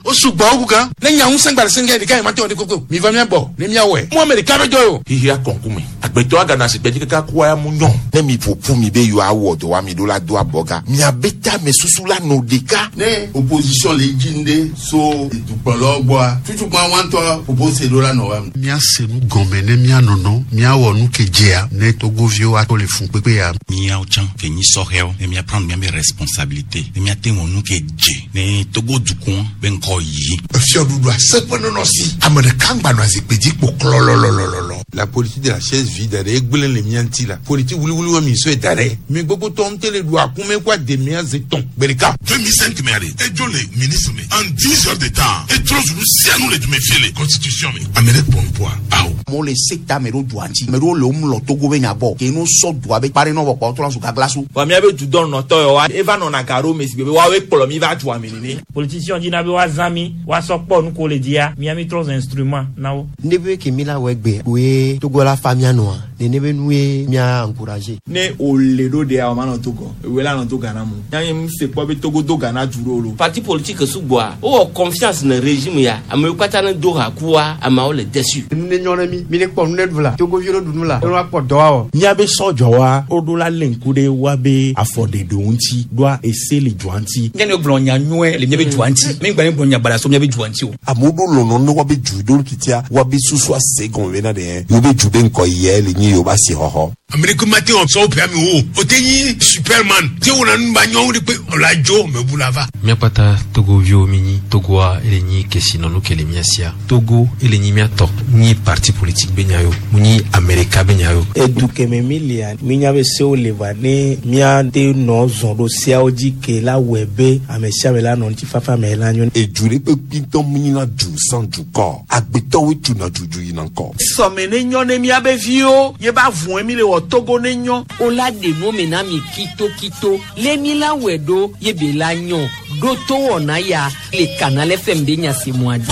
O sugbɔ wu gan. Ne nya ŋusẽ gba le senge ɖeka yi mate wɔ ɖe koko. Mi va mía gbɔ ne míawɔe. Mu ame ɖeka be dɔ ye o. Xexea kɔnkume. Agbetɔ agana zikpui dzi kaka kua ya mu nyɔ. Ne mi ƒoƒu mi be yewoawɔ dɔ wa mi ɖo la do abɔga. Miabe tamesusu la nɔ ɖeka. Ne opposition le dzi ŋɖe so dukplɔlawo gbɔa, tutugbã wa ŋutɔ ƒoƒo se ɖo la nɔ wa me. Míase nu gɔme ne míanɔnɔ, míawɔ nu ke dzea ne Togoviwo ato le funkpekpe ya. Míawo tsã ke nyi sɔhɛwo ne mía prendre míabe responsabilité ne míate wɔ nu ke dze ne Togo dukɔa be ŋkɔ yi. Efiɔɖuɖua seƒe nɔnɔ si ame ɖeka ŋgba nɔ zikpui dzi kpo klɔlɔlɔlɔlɔ. La politique de la chaise vide ɖe egblẽ le mía ŋuti la. Politique wuliwuli wa mi sɔe da ɖe. Mi gbogbo tɔ ŋute le ɖu akume kɔ ade mía ze tɔn gbe ɖeka. 2005 me aɖe edzo le ministre me en 10 heures de temps etrɔ zu nu sia nu le dume fie le constitution me ame ɖe kpɔ nuƒoa awo. Amewo le se ta ame ɖewo dua ŋuti ame ɖewo le wo mlɔ Togo be nya gbɔ ke no sɔ dua be kpa ɖe nɔ vɔ kpɔ trɔ zu gaglasu. Vɔ míabe dudɔnɔtɔ yawoa eva nɔna ga ɖo me si gbe be woawoe kplɔ mi va dua me nene. Politicien dina be woazã mi woasɔ kpɔ nu ko le dzia mía mi trɔ zu instrument na wo. Ne be ke mi la wɔ egbe koe Togo la fa mía nɔa nene be nue mía encourager. Ne wòle ɖo ɖea o manɔ Togo ewoe la nɔ to Ghana mu. Nya mi se kpɔ be Togo do Ghana du ɖo lo. Parti politique sugbɔa wowɔ confiance ne régime ya amewo katã ne do ha kua ameawo le déçu. Nu ne nyɔ ne mi mi ne kpɔ nu ne ɖu la Togoviwo ne ɖu nu la ne woakpɔ dɔ awɔ. Míabe sɔdzɔwa woɖo la lé ŋku ɖe woabe afɔɖeɖewo ŋuti ɖoa ese le dua ŋuti. Nye ne gblɔ nya nyuie le míabe dua ŋuti. Mi gba ne gblɔ nya baɖa so míabe dua ŋuti o. Amewo ɖo lɔlɔ ne woabe du ɖo titia woabe susu ase gɔme bena ɖe yewo be du be ŋkɔ yia le nyi yewo be asixɔxɔ. Ame ɖe mate wɔ sɔwo ƒe ame wo o te nyi superman te wɔna nu ba nyɔnu ɖe kpe ɔla dzo mebu la va. Míakpata Togoviwo mi nyi Togoa ele nyi kesinɔnu ke le mía sia. Togo ele nyi míatɔ nyi parti politique be nya yo mu nyi Amerika be nya yo. Edu keme mi lia minya be sewo le va ne míate nɔ zɔn ɖo seawo dzi ke la wɔe be ame sia ame la nɔ ŋutifafa me la nyo. Edu ɖe kpe kpitɔ mu nyina du sans dukɔ agbetɔwoe tuna dudu yina ŋkɔ. Sɔme ne nyɔ ne míabe viwo ye ba vɔe mi le wɔ Togo ne nyɔ. O la ɖe nu me na mi kitokito le mi la wɔe ɖo ye be la nyɔ ɖo to wɔna ya le Canal FM be nya se mua dzi.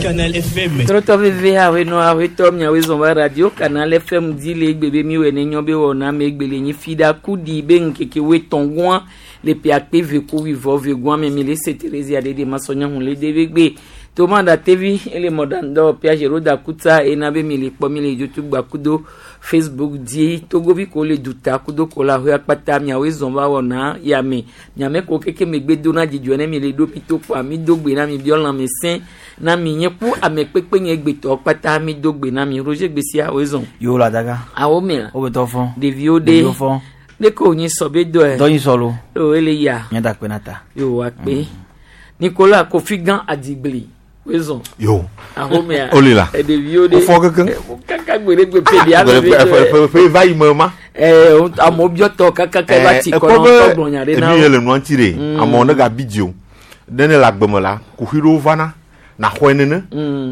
Canal FM. Trɔtɔ veve awe nɔ awe tɔ miawoe zɔn va radio Canal FM dzi le egbe be mi wɔ ne nyɔ be wɔna me egbe le nyi fi ɖa ku ɖi be ŋkeke woe tɔn gɔa le ƒe akpe ve ku wuivɔ ve gɔa me mi le se Thérésia ɖe ɖe masɔnya hun le de be gbe toma da tevi ele mɔɖaŋdɔ Piagero da kuta ena be mi le kpɔ mi le YouTube gba kudo Facebook dzi Togovi ko le duta kudo ko la hoe akpata miawoe zɔn va wɔna ya me miame ko keke megbe do na dzidzɔ ne mi le ɖo mi to kpoa mi do gbe na mi biɔ lãme sẽ na mi nye ku ame kpekpe nye gbetɔ kpata mi do gbe na mi Roger Gbesia woe zɔn. Yo la daga. Awo mea. Wo be tɔ fɔ. Ɖeviwo ɖe. Ɖeviwo fɔ. Ne ko nyi sɔ be dɔe. Dɔ nyi sɔ lo. O ele ya. Nye da kpe na ta. Yo akpe. Nicolas Kofi Gã Adigbli woe zɔn. Yo. Awo mea. Oli la. Ɖeviwo ɖe. Wofɔ kekeŋ. Kaka gbe ɖe gbe pe ɖe ame be dɔe. Ƒe va yi me ma. Amewo biɔ tɔ kaka kaka va ti kɔ na wotɔ gblɔ nya ɖe na wo. wo. Enu ye le nua ŋuti ɖe. Amewo ne gabi dzi o. Ne ne le agbe me la, kuxi ɖewo vana. Na xɔe nene.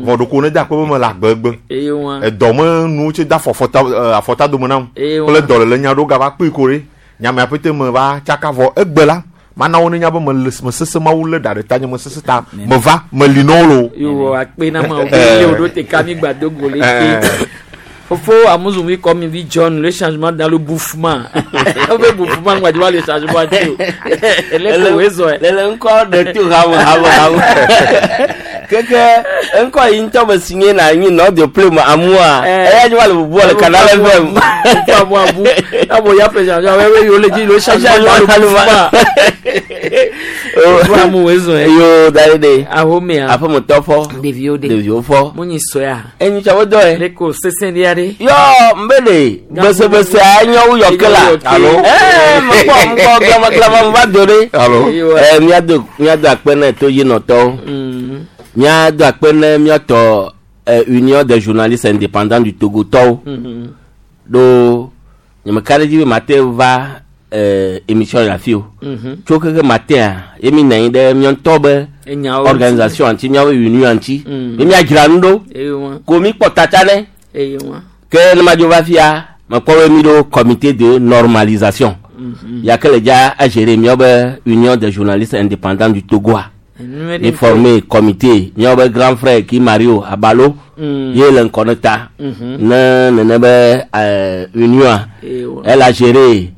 Vɔ ɖeko ne da akpe be me le agbe egbe. Eye wa. Edɔ me nuwo tse da afɔta dome nam. Eye wa. Kple dɔlele nya ɖewo gava kpee ko ɖe. Nyamea ƒete me va tsaka vɔ egbe la. Mana wo ne nya be me le me sese mawu le ɖa ɖe ta nye me sese ta me va me li na wo lo. Yo akpe na ma wo be le wo ɖo te ka mi gba do go le te. Fofo Amuzumi comme il dit John, le changement dans le bouffement. Le bouffement, moi, je vois le changement. Le ko Le le ŋkɔ ɖe to hame hame hame. Keke ŋkɔ yi ŋutɔ me si nye na nyi nɔ de ple me amua. Eya dzi va le bubu le Canal FM. Fofo amu abu. Abo ya fait changement. Ouais, ouais, yo le dit le changement dans le bouffement. Fofo amu wezo. Yo da de. Ahomea. Aƒemetɔ fɔ. Ɖeviwo de. Ɖeviwo fɔ. Munyi sɔya. Enyi tsɔ wo dɔ ye. Le ko sese ɖe aɖe. Yɔ mbele gbesebese anyo wu yɔke la. Alo. Mekpɔ ŋkɔ glama glama va do ɖe. Alo. Míado míado akpe ne todzinɔtɔwo. Míado akpe ne míatɔ Union des journalistes indépendants du Togo tɔwo. Ɖo nyemeka ɖe dzi be mate va émission le afi o. Tso keke matin ye mi nɔ anyi ɖe mía ŋutɔ be Enyawo organisation ŋuti míaƒe union ŋuti. Be míadzra nu ɖo. Eye wa. Ko mi kpɔ tata ne. Eye wa. Ke ne madzo va fia mekpɔ be mi ɖo comité de normalisation. Ya ke le dza agérer míaƒe Union des journalistes indépendants du Togoa. Mi formé comité míaƒe grand frère ki Mario Abalo. Ye le ŋkɔ ne ta. Ne nene be union Eye wa. elle a géré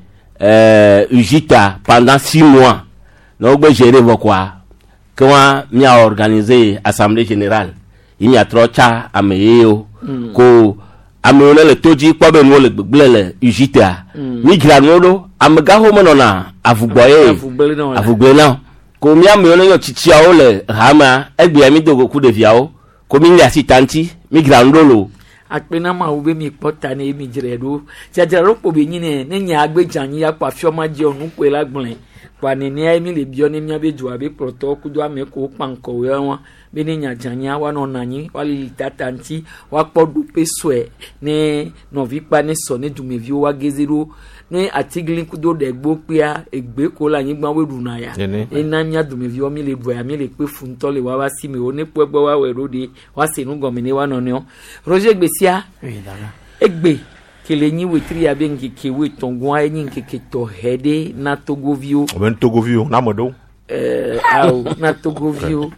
UJITA pendant 6 mois. Ne wogbe gérer vɔ koa, ke wa mia organiser assemblée générale yi miatrɔ tsa ame yeyewo. Ko amewo ne le to dzi kpɔ be nuwo le gbegblẽ le UJTA. Mi dzra nuwo ɖo, amegaxo menɔna avugbɔ ye. Avugble na wo la. Avugble na wo. Ko mía amewo ne nyɔ tsitsiawo le hamea, egbea mi do go ku ɖeviawo. Ko mi le asi ta ŋuti, mi dzra nu ɖo loo. Akpe na Mawu be mi kpɔ ta ne ye mi dzrae ɖo. Dzadzraɖo kpo be nyi ne ne nya agbe dze anyi akpɔ afiɔ ma dzi nu koe la gblɔe. Kpoa nenea ye mi le biɔ ne miabe dua be kplɔtɔwo kudo ame kewo kpa ŋkɔwoe wa be ne nya dze anyia woanɔ nɔ anyi woalili tata ŋuti woakpɔ ɖoƒe sɔe ne nɔvi kpa ne sɔ ne dumeviwo woageze ɖo ne atigli kudo ɖegbo kpea egbe ko le anyigba woe ɖuna ya. Nene. Ena mía dumeviwo mi le ɖua ya mi le kpe fu ŋutɔ le woabe asi me wo ne kpɔe gbɔ woawɔe ɖo ɖe woase nu gɔme ne woanɔ nɔewo. Roger Gbesia egbe ke le nyi wetri ya be ŋkeke woetɔ̃ goa enyi ŋkeke tɔxɛ ɖe na Togoviwo. Ame Togoviwo na ame ɖewo. Awo na Togoviwo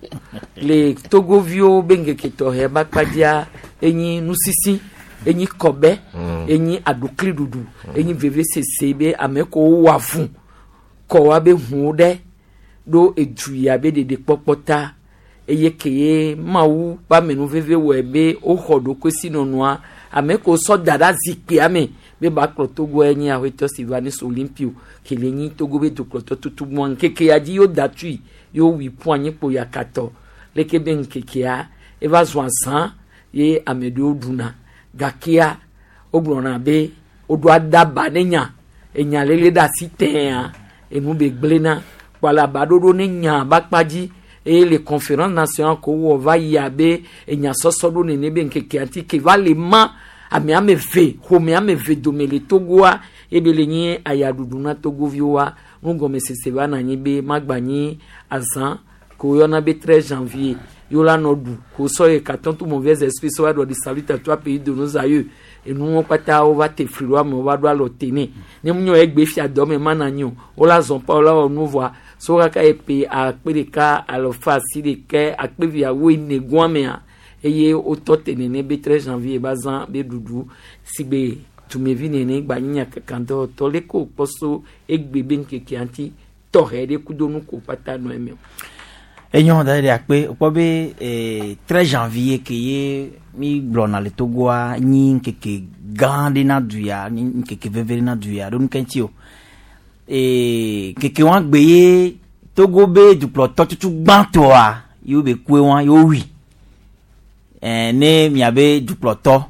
le Togoviwo be ŋkeke tɔxɛ ba kpadzia enyi nusisi enyi kɔbɛ enyi aɖukliɖuɖu enyi vevesese be ame kewo wɔ avu kɔ woabe ʋuwo ɖe ɖo edu ya be ɖeɖekpɔkpɔ ta eye ke ye Mawu ƒe amenuveve wɔe be woxɔ ɖokuisinɔnɔa ame kewo sɔ da ɖe azikpuia me be ba kplɔ Togo enye aƒetɔ Sylvanus Olympio ke le nyi Togo be dukplɔtɔ tutugbɔa ŋkeke ya dzi yewo da tui yewo wui ƒu anyi kpo yakatɔ leke be ŋkekea eva zu azã ye ame ɖewo ɖuna gakea wogblɔna be woɖo adaba ne nya enya lele ɖe asi tɛa enu be gblẽna kpɔ le abaɖoɖo ne nya ba kpa dzi eye le conférence nationale ko wɔ va yia be enya sɔsɔ ɖo nene be ŋkekea ŋuti ke va le ma ame ame eve ƒome ame eve dome le Togoa ebe le nyi ayaɖuɖu na Togoviwoa nugɔmesese va na anyi be magba nyi azã ko woyɔna be 13 janvier ye wola nɔ ɖu ko sɔ ye katon tout mauvais esprit sɔ va ɖɔ di salut à toi pays de nos aïeux enuwo kpata wova te fli ɖo amewo va ɖo alɔ te nɛ ne mu nyɔ egbe fia dɔ me mana nyi o wola zɔn pa wola wɔ nu vɔa so kaka epe akpe ɖeka alɔfa asi ɖeke akpe viawo ene goa mea eye wotɔ te nene be 13 janvier ba zã be ɖuɖu si gbe dumevi nene gba nyi nyakakadɔwɔtɔ leke wòkpɔ so egbe be ŋkekea ŋuti tɔxɛ ɖe kudo nu ko kpata nɔ eme o. Enyo da ɖe akpe kpɔ be 13 janvier ke ye mi gblɔna le Togoa nyi ŋkeke gã ɖe na du ya nyi ŋkeke veve ɖe na du ya ɖo nuke ŋuti o. Ŋkeke wa gbe ye Togo be dukplɔtɔ tutu gbãtɔa ye wo be kue wa ye wowui. Ne miabe dukplɔtɔ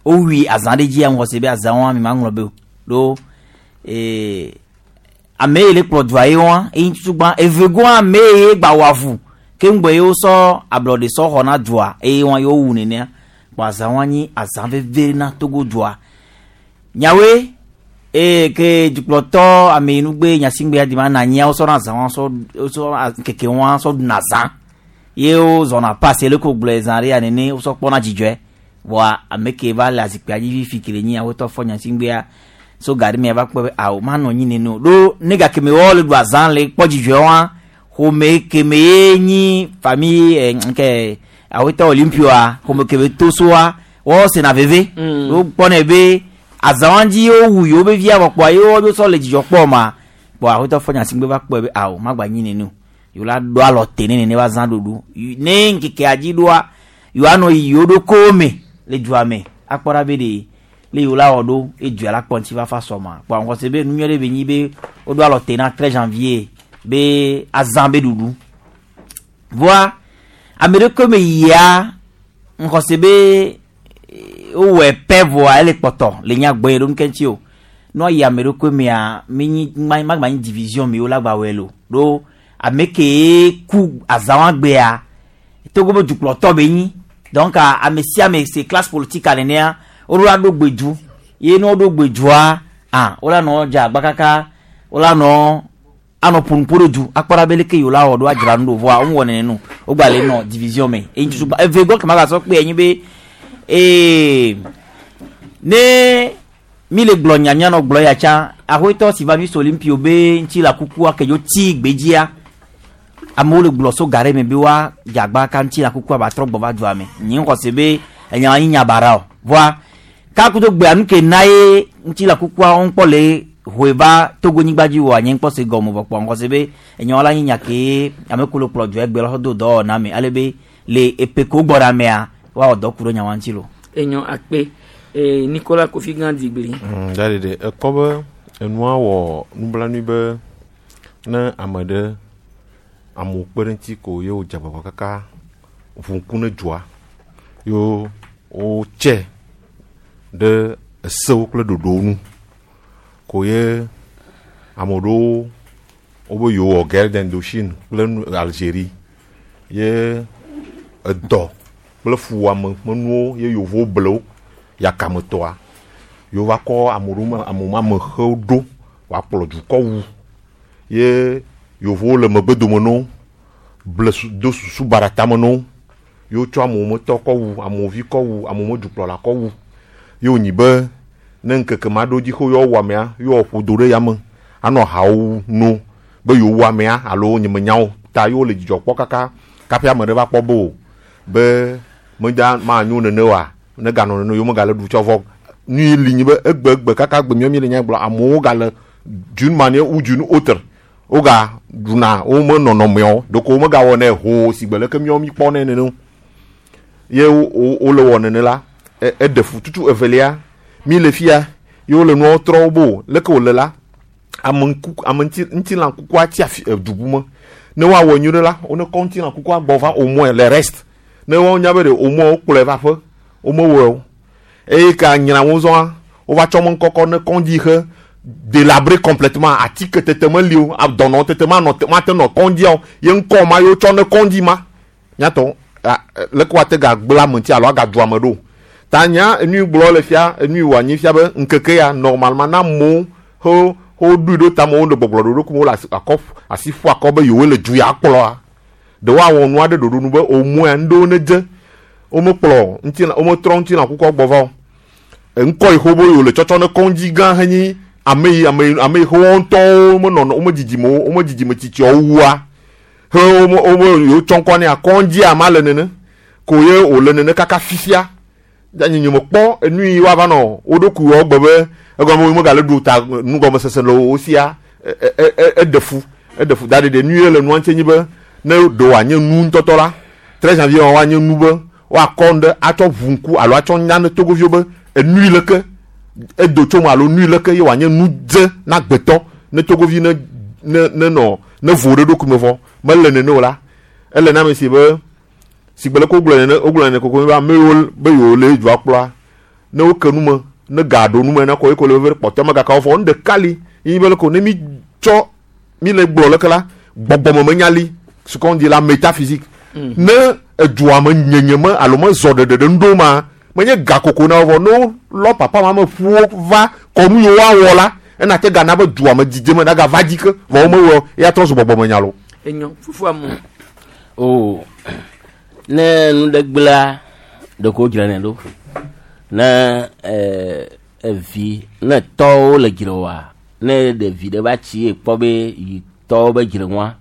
wowui azã ɖe dzia ŋgɔ se be azã wa mi ma ŋlɔ be o ɖo ame yi le kplɔ dua ye wa eyi tutu gbã evegoa ame ye gba wɔ avu ke ŋgbɛ ye wosɔ ablɔɖe sɔ xɔ na dua eye wa ye wowu nenea kpɔ azã wa nyi azã veve na Togo dua nyawoe eye ke dukplɔtɔ ame yi nugbe nyasigbe adi ma na anyia wosɔ na azã wa sɔ wosɔ ŋkeke wa sɔ ɖuna azã ye wozɔna passe le ko gblɔe zã ɖe ya nene wosɔ kpɔna dzidzɔe vɔa ame ke va le azikpuia dzi fifi ke le nyi awotɔ fɔ nyasigbea so gari mia va kpɔ be awo manɔ anyi nene o ɖo ne gake me wɔ le ɖu azã le kpɔ dzidzɔe wa xɔme keme ye nyi famille nke awotɔ Olympioa xɔme keme to soa wɔ sena veve wo kpɔnɛ be azã wa dzi wowu yewo be via vɔ kpɔa ye wo sɔ le dzidzɔ kpɔ ma kpɔ awotɔ fɔ nyasigbe va kpɔe be awo magba nyi nene o yewo la ɖo alɔ te ne nene va zã ɖuɖu ne ŋkekea dzi ɖoa yewoanɔ yi yewo ɖokuiwo me le dua me akpɔ ɖa be ɖe le yewo la wɔ ɖo edua la kpɔ ŋuti va fa sɔma kpɔ ŋgɔ se be nu nyuie ɖe be nyi be woɖo alɔ te na 13 janvier be azã be ɖuɖu voa ame ɖe me yia ŋgɔ se be wowɔe pɛ voa ele kpɔtɔ le nya gbɔe ɖo nuke ŋuti o nua yi ame ɖokui mea mi nyi magba nyi division mi wo la gba wɔe lo ɖo ame ke ku azã wa gbea Togo be dukplɔtɔ be nyi donc ame sia ame se classe politique nenea woɖo la ɖo gbedu ye ne woɖo gbedua ah wola nɔ dze agba kaka wola nɔ anɔ ƒonuƒo ɖe du akpɔ ɖa be leke yewo la wɔ ɖo adzra nu ɖo vɔa wo wɔ nene nu wogba le nɔ division me eyi tutu gba eve gbɔ kema gasɔ kpe enyi be ne mi le gblɔ nya mianɔ gblɔ ya tsã ahoetɔ Sylvanus Olympio be ŋuti la kukua ke dzo tsi gbedzia amewo le gblɔ so ga ɖe me be wa dzagba ka ŋuti la kukua ba trɔ gbɔ va dua me nyi ŋxɔ se be enya nyi nya bara o voa kakudo gbea nu ke na ye ŋuti la kukua wo ŋkpɔ le hoe va Togo nyigba dzi oa nye ŋkpɔ se gɔme vɔ kpɔ ŋkɔ se be enyawo la nyi nya ke ame ko le kplɔ dua egbe la xɔ do dɔwɔna me ale be le epe ko gbɔ ɖe amea woawɔ dɔ ku ɖe nyawa ŋuti lo. Enyɔ akpe eh, Nicolas Kofi Gã Digbli. Da ɖeɖe ekpɔ be enua wɔ nublanui be ne ame ɖe amewo kpe ɖe ŋuti ko ye wodze agbagba kaka ʋu ŋku ne dzoa ye wotse ɖe esewo kple ɖoɖowo nu ko ye ame ɖewo wobe yewowɔ guerre d'Indochine kple nu Algérie ye edɔ kple fuwɔame ƒe nuwo ye yevuwo ble wo yakametɔa ye wova kɔ ame ɖewo me ame ma me xewo ɖo wòakplɔ dukɔ wu ye yevuwo le megbe dome na wo ble su do susu baɖa tame na wo ye wotsɔ amewo me tɔ kɔ wu amewo vi kɔ wu amewo me dukplɔla kɔ wu ye wònyi be ne ŋkeke ma ɖo dzi xoxo yewoawu amea ye woaƒo do ɖe yame anɔ hawo no be yewowu amea alo nyemenyawo ta ye wole dzidzɔ kpɔ kaka kaƒe ame ɖe va kpɔ be o be meda manyo nene oa ne ganɔ nene yewo megale ɖu tsɔ vɔ nu yi li nyi be egbe egbe kaka gbe míawo míele nya gblɔ amewo gale d'une manière ou d'une autre woga ɖuna wo me nɔnɔmeawo ɖeko womegawɔ nɛ hoo si gbe leke míawo míkpɔ nɛ nene o ye wole wɔ nene la eɖe fu tutu evelia mi le fia ye wole nuawo trɔ wo bo leke wòle la ame ŋku ame ŋuti ŋutilã kukua tsi afi edu bu me ne woawɔ nyui ɖe la wone kɔ ŋutilã kukua gbɔ va au moins le reste ne woawo nya be ɖe au moins wokplɔe va aƒe womewɔe o eye ka nyra wo zɔa wova tsɔ me ŋkɔkɔ ne kɔndzi xe délabré complètement atike tete meli o dɔnɔ tete manɔ mate nɔ kɔndzia o ye ŋkɔ ma ye wotsɔ ne kɔndzi ma nyatɔ leke woate gagblẽ ame ŋuti alo agadu ame ɖo ta nya enu yi gblɔ le fia enu yi wɔ anyi fia be ŋkeke ya normalement na amewo ho woɖoe ɖo tame wole gbɔgblɔ ɖoɖo kum wole akɔ asi ƒu akɔ be yewo le du ya kplɔa ɖe woawɔ nu aɖe ɖoɖo nu be au moins ŋɖewo ne dze womekplɔ ŋutilã wometrɔ ŋutilã kukua gbɔ va o ŋkɔ yi xoxo yewo le tsɔtsɔ ne kɔndzi gã henyi ame yi ame yi ame yi xoxo ŋutɔwo menɔ womedzidzi me womedzidzi me tsitsiawo wua he wome wome yewo tsɔ ŋkɔ nɛ kɔndzia ma le nene ko ye wòle nene kaka fifia nye nye mekpɔ enu yi woava nɔ wo ɖokui wɔ gbe be egɔme wo megale ɖu ta nugɔmesese le wo sia eɖe fu eɖe fu da ɖeɖe nu ye le nua ŋuti nyi be ne ɖe wòanye nu ŋutɔtɔ la 13 janvier woanye nu be woakɔ nu ɖe atsɔ ʋu ŋku alo atsɔ nya ne togoviwo be enu yi leke edo tso me alo nu yi leke ye wòanye nu dze na gbetɔ ne togovi ne ne ne nɔ ne vo ɖe ɖokui me vɔ mele nene o la ele na ame si be si gbe leke wogblɔ nene wogblɔ nene koko be ame yiwo be yewo le dua kplɔa ne woke nu me ne ga ɖo nu me na ko ye ko le veve kpɔtɔ me gaka wofɔ nu ɖeka li yi be leke ne mi tsɔ mi le gblɔ leke la gbɔgbɔmemenya li ce qu'on dit la métaphysique ne edua me nyenye me alo me zɔ ɖeɖe ɖe ŋɖo ma menye ga koko na wo vɔ ne wolɔ papa ma me ƒuwo va kɔnu yiwo woawɔ la ena te gana be dua me dzidze me nagava dzi ke vɔ womewɔ eya trɔ zu gbɔgbɔmenya lo. Enyɔ fufu amu. O ne nu ɖe gblẽa ɖeko wodzranɛ ɖo ne evi ne tɔwo le dzre oa ne ɖevi ɖe va tsi ye kpɔ be yi tɔwo be dzre ŋua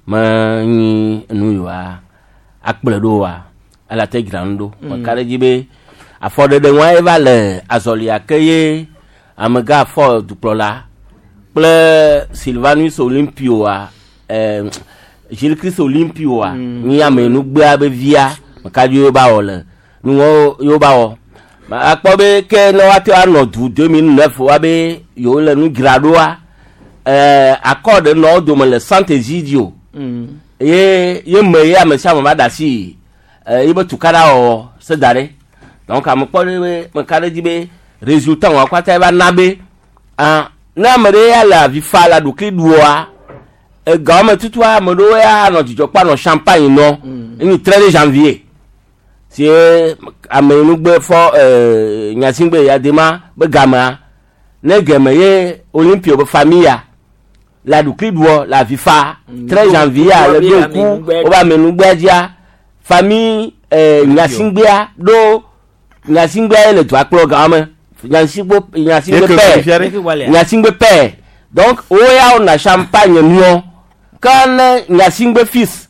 menyi nu yi wa akplɔe ɖo oa ele te dzra nu ɖo meka ɖe dzi be afɔɖeɖe ŋua ye va le azɔlia ke ye amegã afɔ dukplɔla kple Sylvanus Olympioa Gilles Christ Olympioa nyi ame nugbea be via meka dzi ye ba wɔ le nuwo yewo ba wɔ akpɔ be ke ne woate anɔ du 2009 wa be yewo le nu dzra ɖoa akɔ ɖe nɔ wo dome le Sant'Egidio ye ye me ye ame sia ame va da asi ye be tukaɖa wɔwɔ se da ɖe donc ame kpɔ ɖe be meka ɖe dzi be résultat wɔa kpata ye va na be ah ne ame ɖe ya le avi fa le aɖukli ɖua egawo me tutua ame ɖewo ya anɔ dzidzɔ kpɔ anɔ champagne nɔ enyi 13 janvier si ame nugbe fɔ nyasigbe ya dema be gamea ne geme ye Olympio be famille le aɖukli ɖuɔ le avi fa 13 janvier le ɖo ŋku wobe ame nugbea dzia famille nyasigbea ɖo nyasigbea ye le dua kplɔ gawo me nyasigbe nyasigbe pɛ nyasigbe pɛ donc wo ya wona champagne nuɔ ke ne nyasigbe fils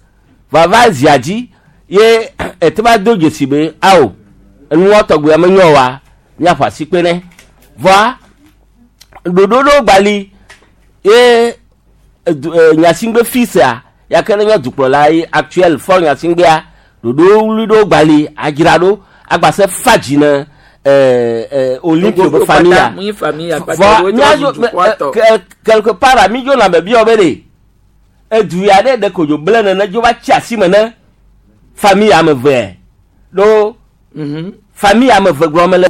vava zia dzi ye ete va do dzesi be awo enuwɔ tɔgbe ame nyɔ wa míaƒo asi kpe nɛ vɔa Ɖoɖo ɖewo gbali ye edu Gnassingbé fils a ya ke ne nye dukplɔla ye actuel Faure Gnassingbéa ɖoɖo wuli ɖewo gbali adzra ɖo agbase fa dzi ne Olympio be famille a. Mu famille a Vɔ míadzo quelque part a mi dzo na be biɔ be ɖe edu ya ɖe ɖe kodzo ble nene dzo va tsi asi me ne famille ame eve ɖo famille ame eve gblɔ me le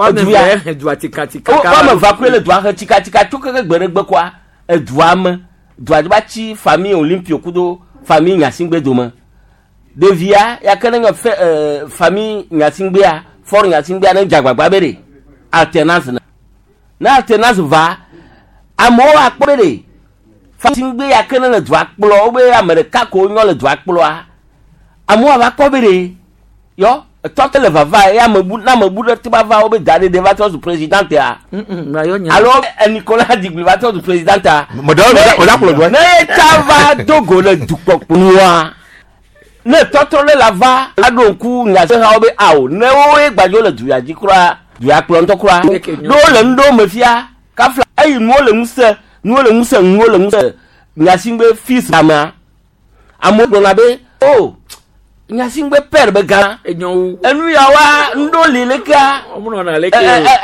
edu ya dua tikatika wo ame eve koe le dua he tikatika tso keke gbe ɖe gbe koa edua me dua dzi va tsi famille Olympio kudo famille Gnassingbé dome ɖevia ya ke ne nye fe famille Gnassingbéa Faure Gnassingbéa ne dze agbagba be ɖe alternance ne ne alternance va amewo akpɔ be ɖe Gnassingbé ya ke ne le dua kplɔ wo be ame ɖeka ko nyɔ le dua kplɔa amewo ava kpɔ be ɖe yɔ etɔ te le vava ye ame bu na ame bu ɖe te va va wo be da ɖe ɖe va trɔ zu président ya alo Nicolas Digli va trɔ zu président ya ne ye ta va do go le dukpɔkplɔa ne tɔtrɔ ɖe la va aɖo ŋku nyasehawo be awo ne woe gbadzo le du ya dzi kura du ya kplɔ ŋutɔ kura ɖo le nu ɖewo me fia kafla eyi nuwo le ŋusẽ nuwo le ŋusẽ nuwo le ŋusẽ Gnassingbé fils amea amewo gblɔna be o Gnassingbé père be gã enu ya wa ŋɖo li lekea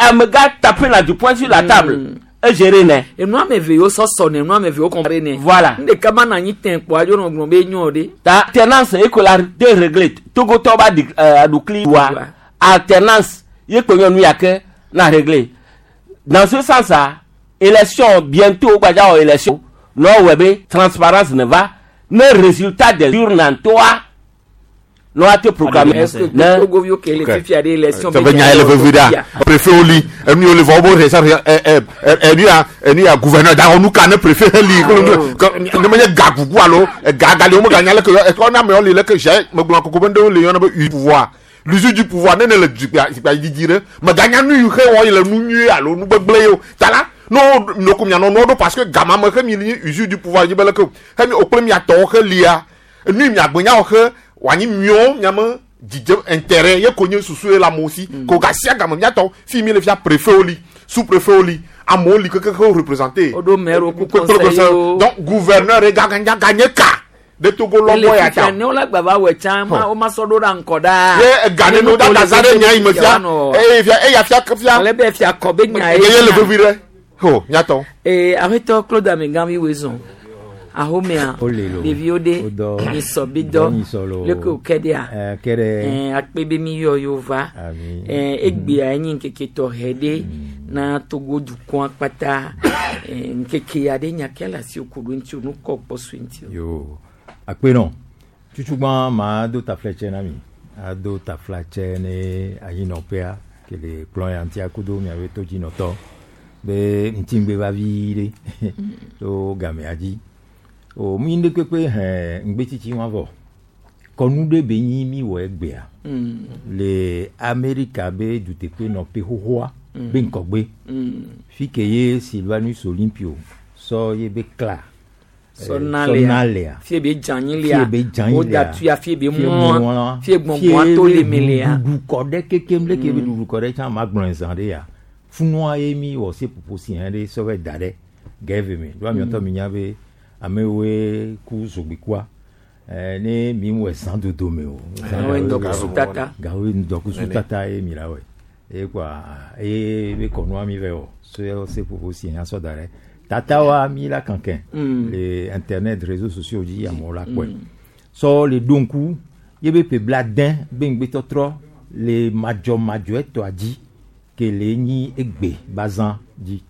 amegã tape na du poing sur la table egéré ne. Enu ame eve yiwo sɔsɔ ne enu ame eve yiwo compare ne. Voilà. Ɖeka ma na anyi tẽ kpɔ adzo nɔ gblɔm be enyo ɖe. Ta alternance eko la de réglé Togotɔ ba di aɖukli wa alternance ye kpe nyɔnu ya ke na réglé dans ce sens a élection bientôt gbadza wɔ élection nɔ wɔ be transparence ne va ne résultat des urnes toa nɔ ate proclamer Est-ce que Togoviwo ke le fifia ɖe élection be nya ye le vevi ɖa préfet wo li enu yi wo le vɔ wo bo sa ɛ ɛ enu ya enu ya gouverneur da nu ka ne préfet he li ne menye ga gugu alo ga gali wo me ganya leke yɔ ekɔ na amewo li leke sia megblɔ koko be ŋɖewo li yɔna be u pouvoir l'usure du pouvoir ne ne le zikpui zikpui dzidzi ɖe meganya nu yi xe wɔ yi le nu nyui alo nu gbegblẽ ye o ta la no noko mianɔ nuwo ɖo parce que gama me xe mi li usure du pouvoir dzi be leke o xe mi o kple miatɔwo xe lia nu yi miagbe nyawo xe wòanyi miwo miame dzidze intérêt ye ko nye susu ye le amewo si ko gasia game miatɔ fi mi le fia préfet wo li sous préfet wo li amewo li keke wo représenté Woɖo maire wo ku conseiller wo. Donc gouverneur ye gaganya ganye ka ɖe Togo Ele lɔbɔ ya fifia ta ne wola gba va wɔ tsã ma wo ma sɔ ɖo ɖa ŋkɔ ɖaa. Ye ega ne no da za ɖe nya yi me fia eye fia eya fia fia Ale be fia kɔ be nya ye ye le vevi ɖe ho miatɔ. Ee aƒetɔ Claude Amegãvi woe zɔn ahomea Ole lo. ɖeviwo ɖe Wodɔ. nyisɔ bi Dɔ dɔ nyisɔ lo. leke wòke ɖea Eh, ke ɖe. Akpe be mi yɔ yewo va. Ami. Egbea enye ŋkeke tɔxɛ ɖe na Togo dukɔa kpata. Ŋkeke ya ɖe nya ke le asiwò ku ɖo ŋuti o nu kɔ kpɔ sue ŋuti o. Yo. Akpe nɔ. Tutugbã ma do taflatsɛ na mi. Ado taflatsɛ ne anyinɔƒea ke le kplɔ ya ŋuti akudo miaƒe todzinɔtɔ be ŋutigbe va vi ɖe tso gamea dzi. O mi ŋɖe kpekpe hɛ ŋgbetsitsi wa vɔ. Kɔnu ɖe be nyi mi wɔ egbea. Le Amerika be duteƒe nɔƒe xoxoa be ŋkɔgbe. Fi ke ye Sylvanus Olympio sɔ ye be kla. Sɔ na lea. Sɔ na lea. Fie be dzanyi lea. Fie be dzanyi Woda lea. tuya fie be Fie mlɔa. mlɔa. Fie gbɔngbɔa to le me lea. Ɖuɖu kɔ ɖe kekem leke be ɖuɖu kɔ ɖe tsã ma gblɔe zã ɖe ya. Funua ye mi wɔ seƒoƒo si hã ɖe sɔ va da ɖe gɛve me. Ɖoa miɔtɔ mi nya be amewoe ku zogbekua. Ne mi wɔ zã dodo me o. Gawoe ŋdɔkusu tata. Gawoe ŋdɔkusu tata ye mi la wɔe. Eye kɔa eye be kɔnua mi vɛ wɔ. Sɔ seƒoƒo si hã sɔ da ɖe. Tata wa mi la kankɛn. Le internet réseaux sociaux dzi amewo la kpɔe. Sɔ le ɖo ŋku ye be ƒe blaade be ŋgbetɔtrɔ le madzɔmadzɔetɔa dzi ke le nyi egbe bazã dzi.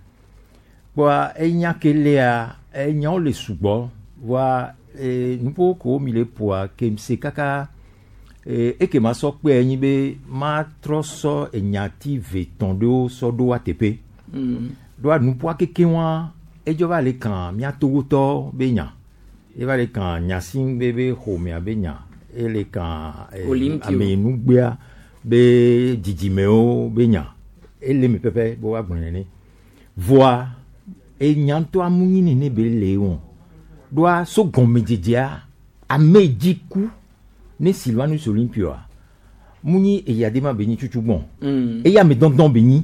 Kpɔa enya ke lea enyawo le sugbɔ voa nuƒo ko mi le ƒoa ke se kaka eke ma sɔ kpea nyi be matrɔ sɔ enyati ve tɔn ɖewo sɔ ɖo wa teƒe. Ɖoa nuƒoa keke wa edzɔ va le kan mía Togotɔ be nya. Eva le kan Gnassingbé be xɔmea be nya. Ele kan Olympio. amenugbea be dzidzimewo be nya. Ele me pɛpɛ be woagblɔe nene. Voa enya ŋutɔ amu nyi nene be le wɔn. Ɖoa so gɔmedzedzea ame dzi ku ne Sylvanus Olympioa mu nyi eya de ma be nyi tutu gbɔn. Eya ame dɔndɔn be nyi.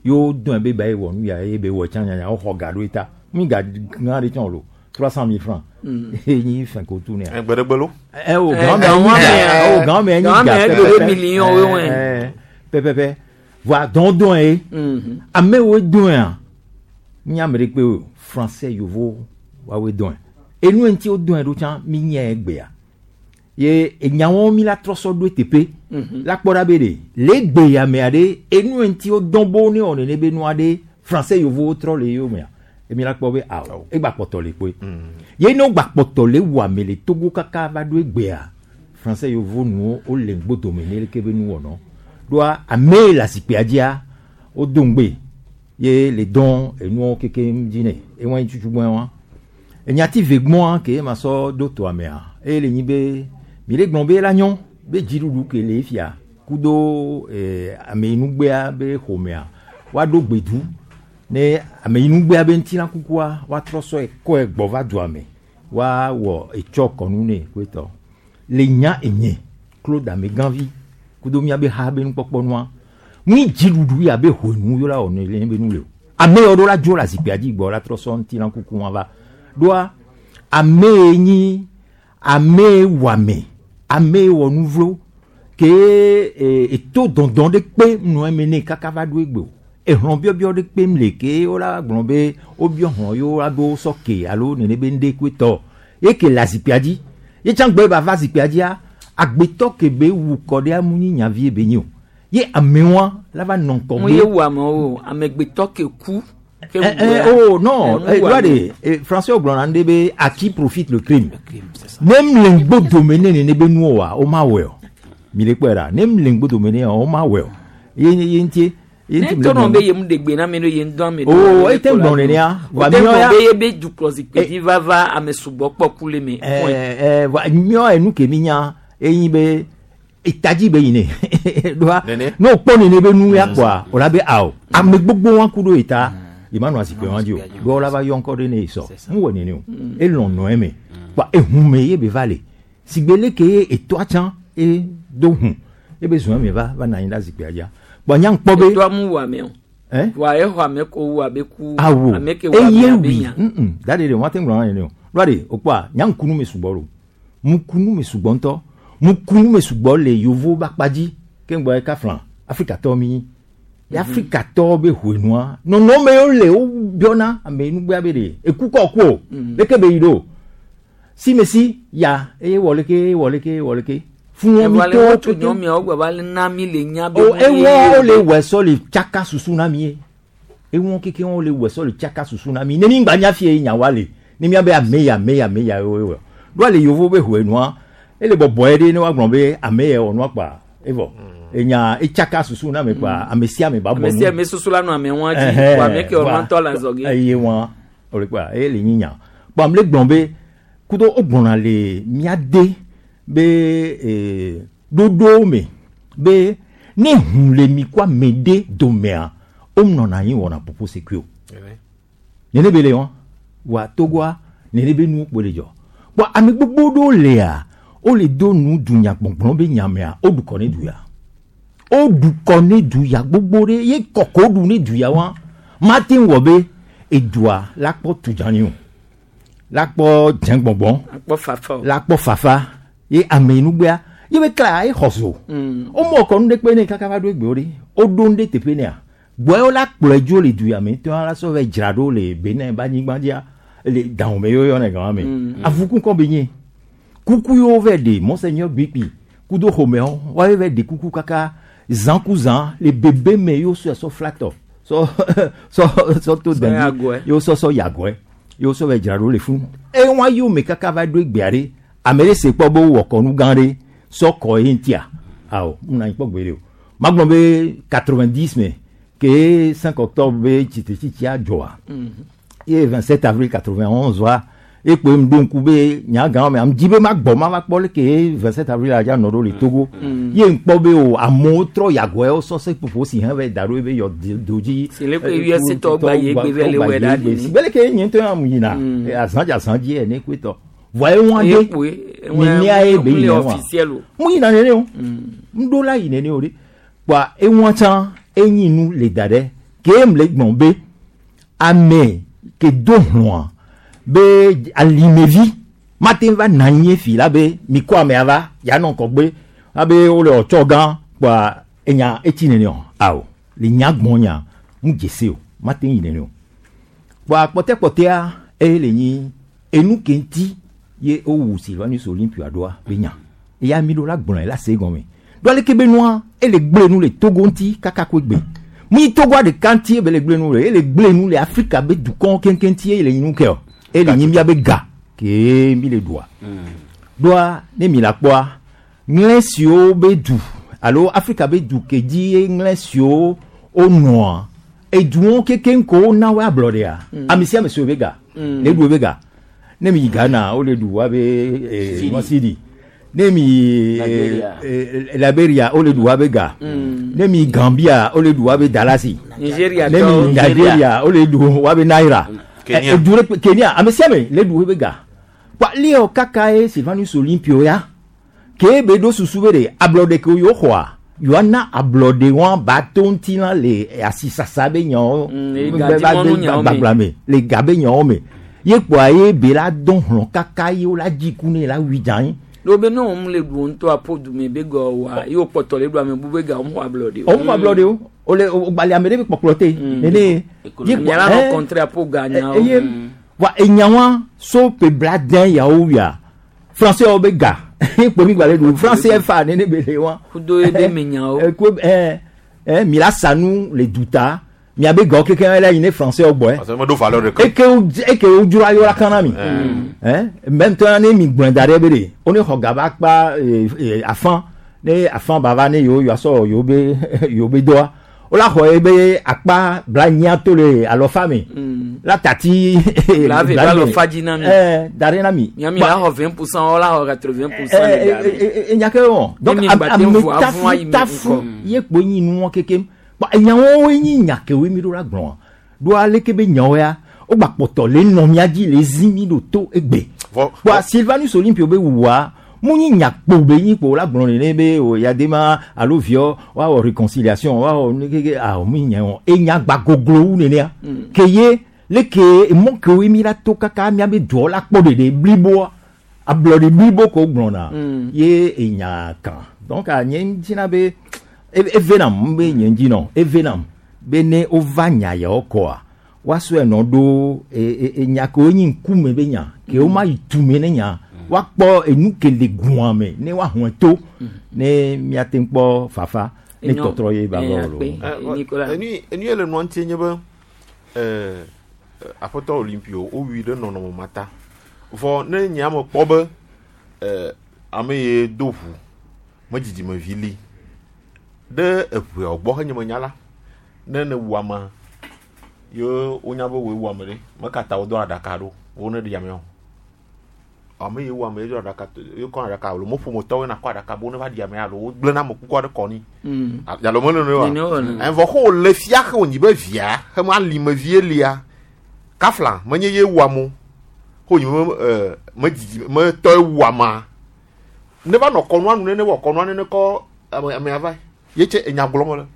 Yo dɔn be ba ye wɔ nu ya ye be wɔ tsã nyanya woxɔ ga ɖo eta. Mi ga gã ɖe tsã o 300 000 francs. Ye nyi fɛn ko tu nea. Gbeɖegbe lo. Ɛ o Eh, gan mɛ gan nyi wa ga mɛ, o gan mɛ nyi gan ga mɛ pɛpɛpɛ. ɖo million wo wɛ. Eh, pɛpɛpɛ. Voa dɔndɔn ye. Amewo dɔn ya. Mi ame ɖe kpe o français yovo woawoe dɔn. Enu ŋuti wo dɔn ɖo tsã mi nye egbea. Ye enyawo mi la trɔ sɔ ɖo teƒe. La kpɔ ɖa be ɖe le egbe ya mea ɖe enu ŋuti wo dɔn bo ne wɔ nene be nua ɖe français yovowo trɔ le yewo mea. Emi la kpɔ be awɔ egba kpɔtɔ le kpoe. Ye ne wogba kpɔtɔ le wɔ ame le Togo kaka va ɖo egbea français yovo nuwo wole ŋgbodome ne leke be nu wɔnɔ. Ɖoa ame yi le azikpuia dzia wodo ŋgbe ye le dɔn enuwo kekem dzi nɛ ewa yi tutu gbɔe wa. Enyati ve gbɔa ke ma sɔ ɖo toa mea eye le nyi be mi le gblɔ be la nyɔ be dziɖuɖu ke le fia kudo ameyinugbea be xɔmea woaɖo gbedu ne ameyinugbea be ŋutilã kukua woatrɔ sɔe kɔe gbɔ va dua me woawɔ etsɔ kɔnu nɛ koetɔ le nya enye Claude Amegãvi kudo miabe ha be nukpɔkpɔ nua ŋui dziɖuɖu ya be honu yɔ la wɔ ne le be nu le o ame yawo ɖo la dzo le azikpuia dzi gbɔ la trɔ sɔ ŋutilã kuku wa va ɖoa ame ye nyi ame ye wɔame ame ye wɔ nu vlo ke eto dɔndɔn ɖe kpe nɔ eme ne kaka va ɖo egbe o ehlɔ̃ biɔbiɔ ɖe kpem le ke wola gblɔ be wobiɔ hlɔ̃ yewo la ɖo sɔ ke alo nene be ŋɖe koe tɔ ye ke le azikpuia dzi ye tsã gbe ba va zikpuia dzia agbetɔ ke be wu kɔ ɖe amu nyi nyavi be nyi o ye amewoa la va nɔ ŋkɔ Mu ye wu amewo o amegbetɔ ke ku. Ke Eh, wu eh, ya. oh non, Eh, eh, mu wu doit ame. de, français gblɔ na ŋɖe be à qui profite le crime. Ne m le ŋgbodome ne nene be nuwo wa, o ma wɔe o. Mi le kpɔe ɖa, ne m le ŋgbodome ne o ma wɔe o. Ye ye ŋutie, ye Ne ŋuti mi le tɔnɔ gblɔ be na. ye mu ɖe gbe na ame ɖo ye ŋdɔ ame ɖo. Oh, ete gblɔ nenea. O Wa te miɔ ya. gblɔ be ye be dukplɔzikpui dzi va va ame sugbɔ kpɔ ku le me. Point. Eh, eh, wa miɔ enu ke mi nya, enyi be etadzi be yi ne. Ɖoa, ne o kpɔ nene be nu ya kpɔa, o la be awo. Ame gbogbo wa ku ɖo eta. Yi ma nɔ azikpui wa dzi o. Ɖoa la va yɔ ŋkɔ ɖe ne yi sɔ. Mu wɔ nene o. Elɔ̃ nɔ eme. Kpɔa ehume ye be va le. Sigbe leke ye etoa tsã e do hu. Ebe zɔn eme va va nɔ anyi ɖe azikpuia dzia. Kpɔa nya ŋkpɔ be. Etoa mu wu ame o. Eh? Wa exɔ ame ko wu abe ku. Awo. Ame ke wu ame Eye abe wi. nya. Da de de wɔn te ŋlɔ na nene o. Ɖoa de o kpɔa nya ŋkunu me sugbɔ lo. Mukunu me sugbɔ ŋutɔ. Mukunu me sugbɔ le yovo be akpa dzi. Ke ŋgbɔ ye kafla Afrikatɔwo mi nyi. Ye Afrikatɔwo be hoenua nɔnɔme yiwo le wo biɔna ame nugbea be ɖe eku kɔ ku o. Leke be yi ɖo. Simesi ya eye wɔ leke eye wɔ leke eye wɔ leke. Fún wọn mi Evɔ le tó wotso nyɔmiawo gba va le na mi le nya be. o mu ye ewɔ wo le wɔ sɔ le tsaka susu na mi ye ewɔ keke wo le wɔ sɔ le tsaka susu na mi ne mi ŋgba nya fie nya wa le ne mia be ame ya ame ya ame ya wo wɔ ɖo ale yovo be hoe nua ele bɔbɔe ɖe ne wa gblɔ be ame ya wɔ nua kpa evɔ enya etsaka susu na me kpa ame sia ame ba bɔ Ame nu sia ame susu la nɔ ame ŋua dzi. Ɛhɛn, Wa ame ke wɔ wa. nua ŋutɔ le azɔge. eye wa o le kpa eye le nyi nya kpɔ ame le gblɔ be kudo wo gblɔna le mía de be ɖoɖowo me be ne hu le mi ko ame ɖe domea wo nɔna anyi wɔna popo sekui o nene be le wa wa togoa nene be nuwo kpo le dzɔ kpɔ ame gbogbo ɖewo lea wole do nu dunyagbɔgblɔ be nyamea woɖu kɔ ne du ya woɖu kɔ ne du ya gbogbo ɖe ye kɔkɔ ɖu ne du ya wa mate ŋu wɔ be edua la kpɔ tudzani o la kpɔ dzɛngbɔngbɔn Akpɔ fafa o. la kpɔ fafa ye ame nugbea ye be kla ye xɔ so womɔ kɔ nu ɖe kpe ne kaka va ɖo egbewo ɖe woɖo nu ɖe teƒe nea gbɔe la kplɔe dzo le du ya me tɔ la sɔ va dzra ɖo le Benin ba anyigba dzia le dahome ye woyɔnɛ gama me avuku kɔ be nye kuku yiwo va ɖe monseigneur gbikpi kudo xɔmewo woawo va ɖe kuku kaka zã ku zã le bebe me yewo sɔe sɔ flatɔ sɔ sɔ sɔ to Sɔ dɛndi yagɔe. yewo sɔ sɔ yagɔe yewo sɔ va dzra ɖo le funu eye wɔn ayi wo me kaka va ɖo egbea ɖe ame ɖe se kpɔ be wowɔ kɔnu gã ɖe sɔ kɔ ye ŋutia awɔ ŋuna anyi kpɔ gbe ɖe o magblɔ be 90 me ke 5 octobre be tsitretsitsia dzɔa ye 27 avril 91 wa ekpe ŋu ɖo ŋku be nyagã me am dzi be magbɔ ma va kpɔ leke ye 27 avril adza nɔ ɖo le Togo ye ŋkpɔ be o amewo trɔ yagɔe wo sɔ seƒoƒo si hã va da ɖo ebe yɔ do dzi. Si le ke USA tɔwo gba yi egbe vɛ le wɔe ɖa ɖi. Si be leke nye ŋutɔ hã mu yina azã dzi azã dzi ene koe tɔ vɔa eŋua Eye de kpoe, nenea ye be ŋu le yina wa officiel o. mu yina nene o ŋɖo la yi nene o ɖe kpoa eŋua tsã enyi nu le da ɖe Ke m le gbɔn be ame ke do hlɔa be alimevi mate va na anyi fi la be mi kɔ amea va yanɔ kɔgbe abe wole ɔtsɔ gã kpoa enya etsi nene o awo le nya gbɔn nya mu dzesi o mate yi nene o kpoa kpɔtɛkpɔtɛa eye le nyi enu ke ŋuti ye wowu Sylvanus Olympio ɖoa be nya eya mi ɖo la gblɔe la se gɔme ɖo aleke be nua ele gblẽ nu le Togo ŋuti kaka koe gbe mu yi Togoa ɖeka ŋuti ebe le gblẽ nu le ele gblẽ nu le Afrika be dukɔwo keŋkeŋ ŋuti eye le nyi nu ke o ele nyi mía be ga ke mi le ɖua ɖoa ne mi la kpɔa ŋlẽ siwo be du alo Afrika be du ke dzi ye ŋlẽ siwo wonɔa eduwo kekeŋ ko wona wo ablɔɖea ame sia ame si wo be ga le ɖu wo be ga ne mi yi Ghana wole ɖu woabe sidi ne mi yi Liberia wole ɖu woabe ga ne mi yi Gambia wole ɖu woabe dalasi Nigeria ne mi yi Nigeria wole ɖu woabe naira Kenya. Edu ɖe Kenya ame sia ame le ɖu wobe ga kpa leo kaka ye Sylvanus Olympio ya ke be ɖo susu be ɖe ablɔɖe ke yewo xɔa yewoana ablɔɖe wɔn ba to ŋuti la le asisasa be nyawo le gadimɔnu nyawo me. gbagba me le ga be nyawo me ye kpoa ye be la dɔn hlɔ̃ kaka ye wo la dzi ku ne la wui dza anyi ɖo be ne wɔm le ɖu ŋutɔ aƒo dume be gɔ wa ye wokpɔtɔ le ɖu ame bu be ga wɔm xɔ ablɔɖe o. wo xɔ ablɔɖe o wole wogbalẽ ame ɖe be kpɔkplɔ te nene ye Mia la nɔ kɔntre aƒo ga nyawo. eye wa enyawa so pe bla den yawo wia français wo be ga kpo mi gbalẽ ɖu français fa nene be le wa Kudo ye be me nyawo. Ko mi la sanu le duta miabe gawo kekeŋ la yi ne français wo gbɔe Parce que meɖo valeur ɖeka. eke wo eke wo dzra yɔ la kan na mi même tɔ ne mi gblɔe da ɖe be ɖe wo ne xɔ gaba kpa afã ne afã ba va ne yewo yewoa sɔ yewo be yewo be dɔa wo la xɔ ye be akpa bla nyia to le alɔfa me la tati La ve ba alɔfa dzi na mi. Da ɖe na mi Miami la xɔ 20%, wo la xɔ 80% le ga me. enya ke wɔ donc Ne mi gba te ame ŋu avɔa yi tafu me tafu ŋkɔ. ye kpo nyi nuwɔ kekem kpa enyawo nyi nya kewoe mi ɖo la gblɔa ɖo aleke be nyawo ya wogba kpɔtɔ le nɔ mía dzi le zi mi ɖo to egbe kpoa Sylvanus Olympio be wuwua mu nyi nya kpo be nyi kpo la gblɔ nene be o yadema alo viɔ woawɔ réconciliation woawɔ nu keke awɔ mu nya wɔ enya gba goglo wu nenea ke ye leke emɔ kewoe mi la to kaka miabe duɔ la kpɔ ɖeɖe bliboa ablɔɖe blibo ko gblɔna ye enya kan donc a nye ŋutina be eve nam be nye ŋdzi nɔ eve nam be ne wova nya yawo kɔa woasɔe nɔ ɖo enya kewo nyi ŋkume be nya ke woma yi tume ne nya woakpɔ enu ke le gua me ne woahɔe to ne miate ŋu kpɔ fafa ne tɔtrɔ ye ba va wɔ lo. Enu ye le nua ŋuti nye be aƒetɔ Olympio wowui ɖe nɔnɔme ma ta vɔ ne nye ame kpɔ be ame ye do ʋu me dzidzimevi li ɖe eʋeawo gbɔ henye menya la ne ne wu amea ye wonya be woe wu ame ɖe mekata wodɔ aɖaka ɖo wo ne ɖi ameawo ame ye wu ame ye do aɖaka ye kɔ aɖaka alo me ƒometɔwoe nakɔ aɖaka bo ne va ɖi amea alo wogblẽ na ame kuku aɖe kɔ ni alo me nene wa evɔ xɔ wòle fia xe wònyi be via xe ma limevie lia kafla menye ye wu amewo xɔ wònyi be me dzidzi me tɔe wu amea ne va nɔ kɔnua nu nene wɔ kɔnua nene kɔ ame amea va ye tse enya gblɔm le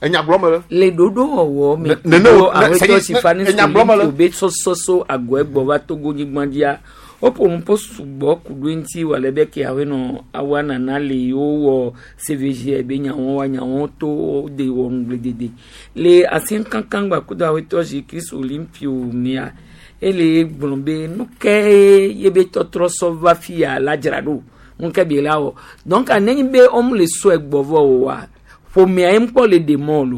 enya gblɔm le. Le ɖoɖowɔwɔ me nene kudo wo- ne- aƒetɔ sɛyi- Sylvanus enya gblɔm le. Olympio be sɔsɔsɔ agɔe gbɔ va Togo nyigba dzia woƒo nu ƒo sugbɔ ku ɖo eŋuti wɔ ale be ke aƒenɔ awa nana le yewo wɔ CVG be nyawo wa nyawo to wo de wɔ ŋugbledede le asi kankan gba kudo aƒetɔ Jésus Christ Olympio mea ele gblɔ be nu ke ye be tɔtrɔ sɔ va fia la dzra ɖo nu ke bi la wɔ donc nenye be wɔm le sɔe gbɔ vɔ o wa ƒomea ye ŋkpɔ le ɖe mɔ lo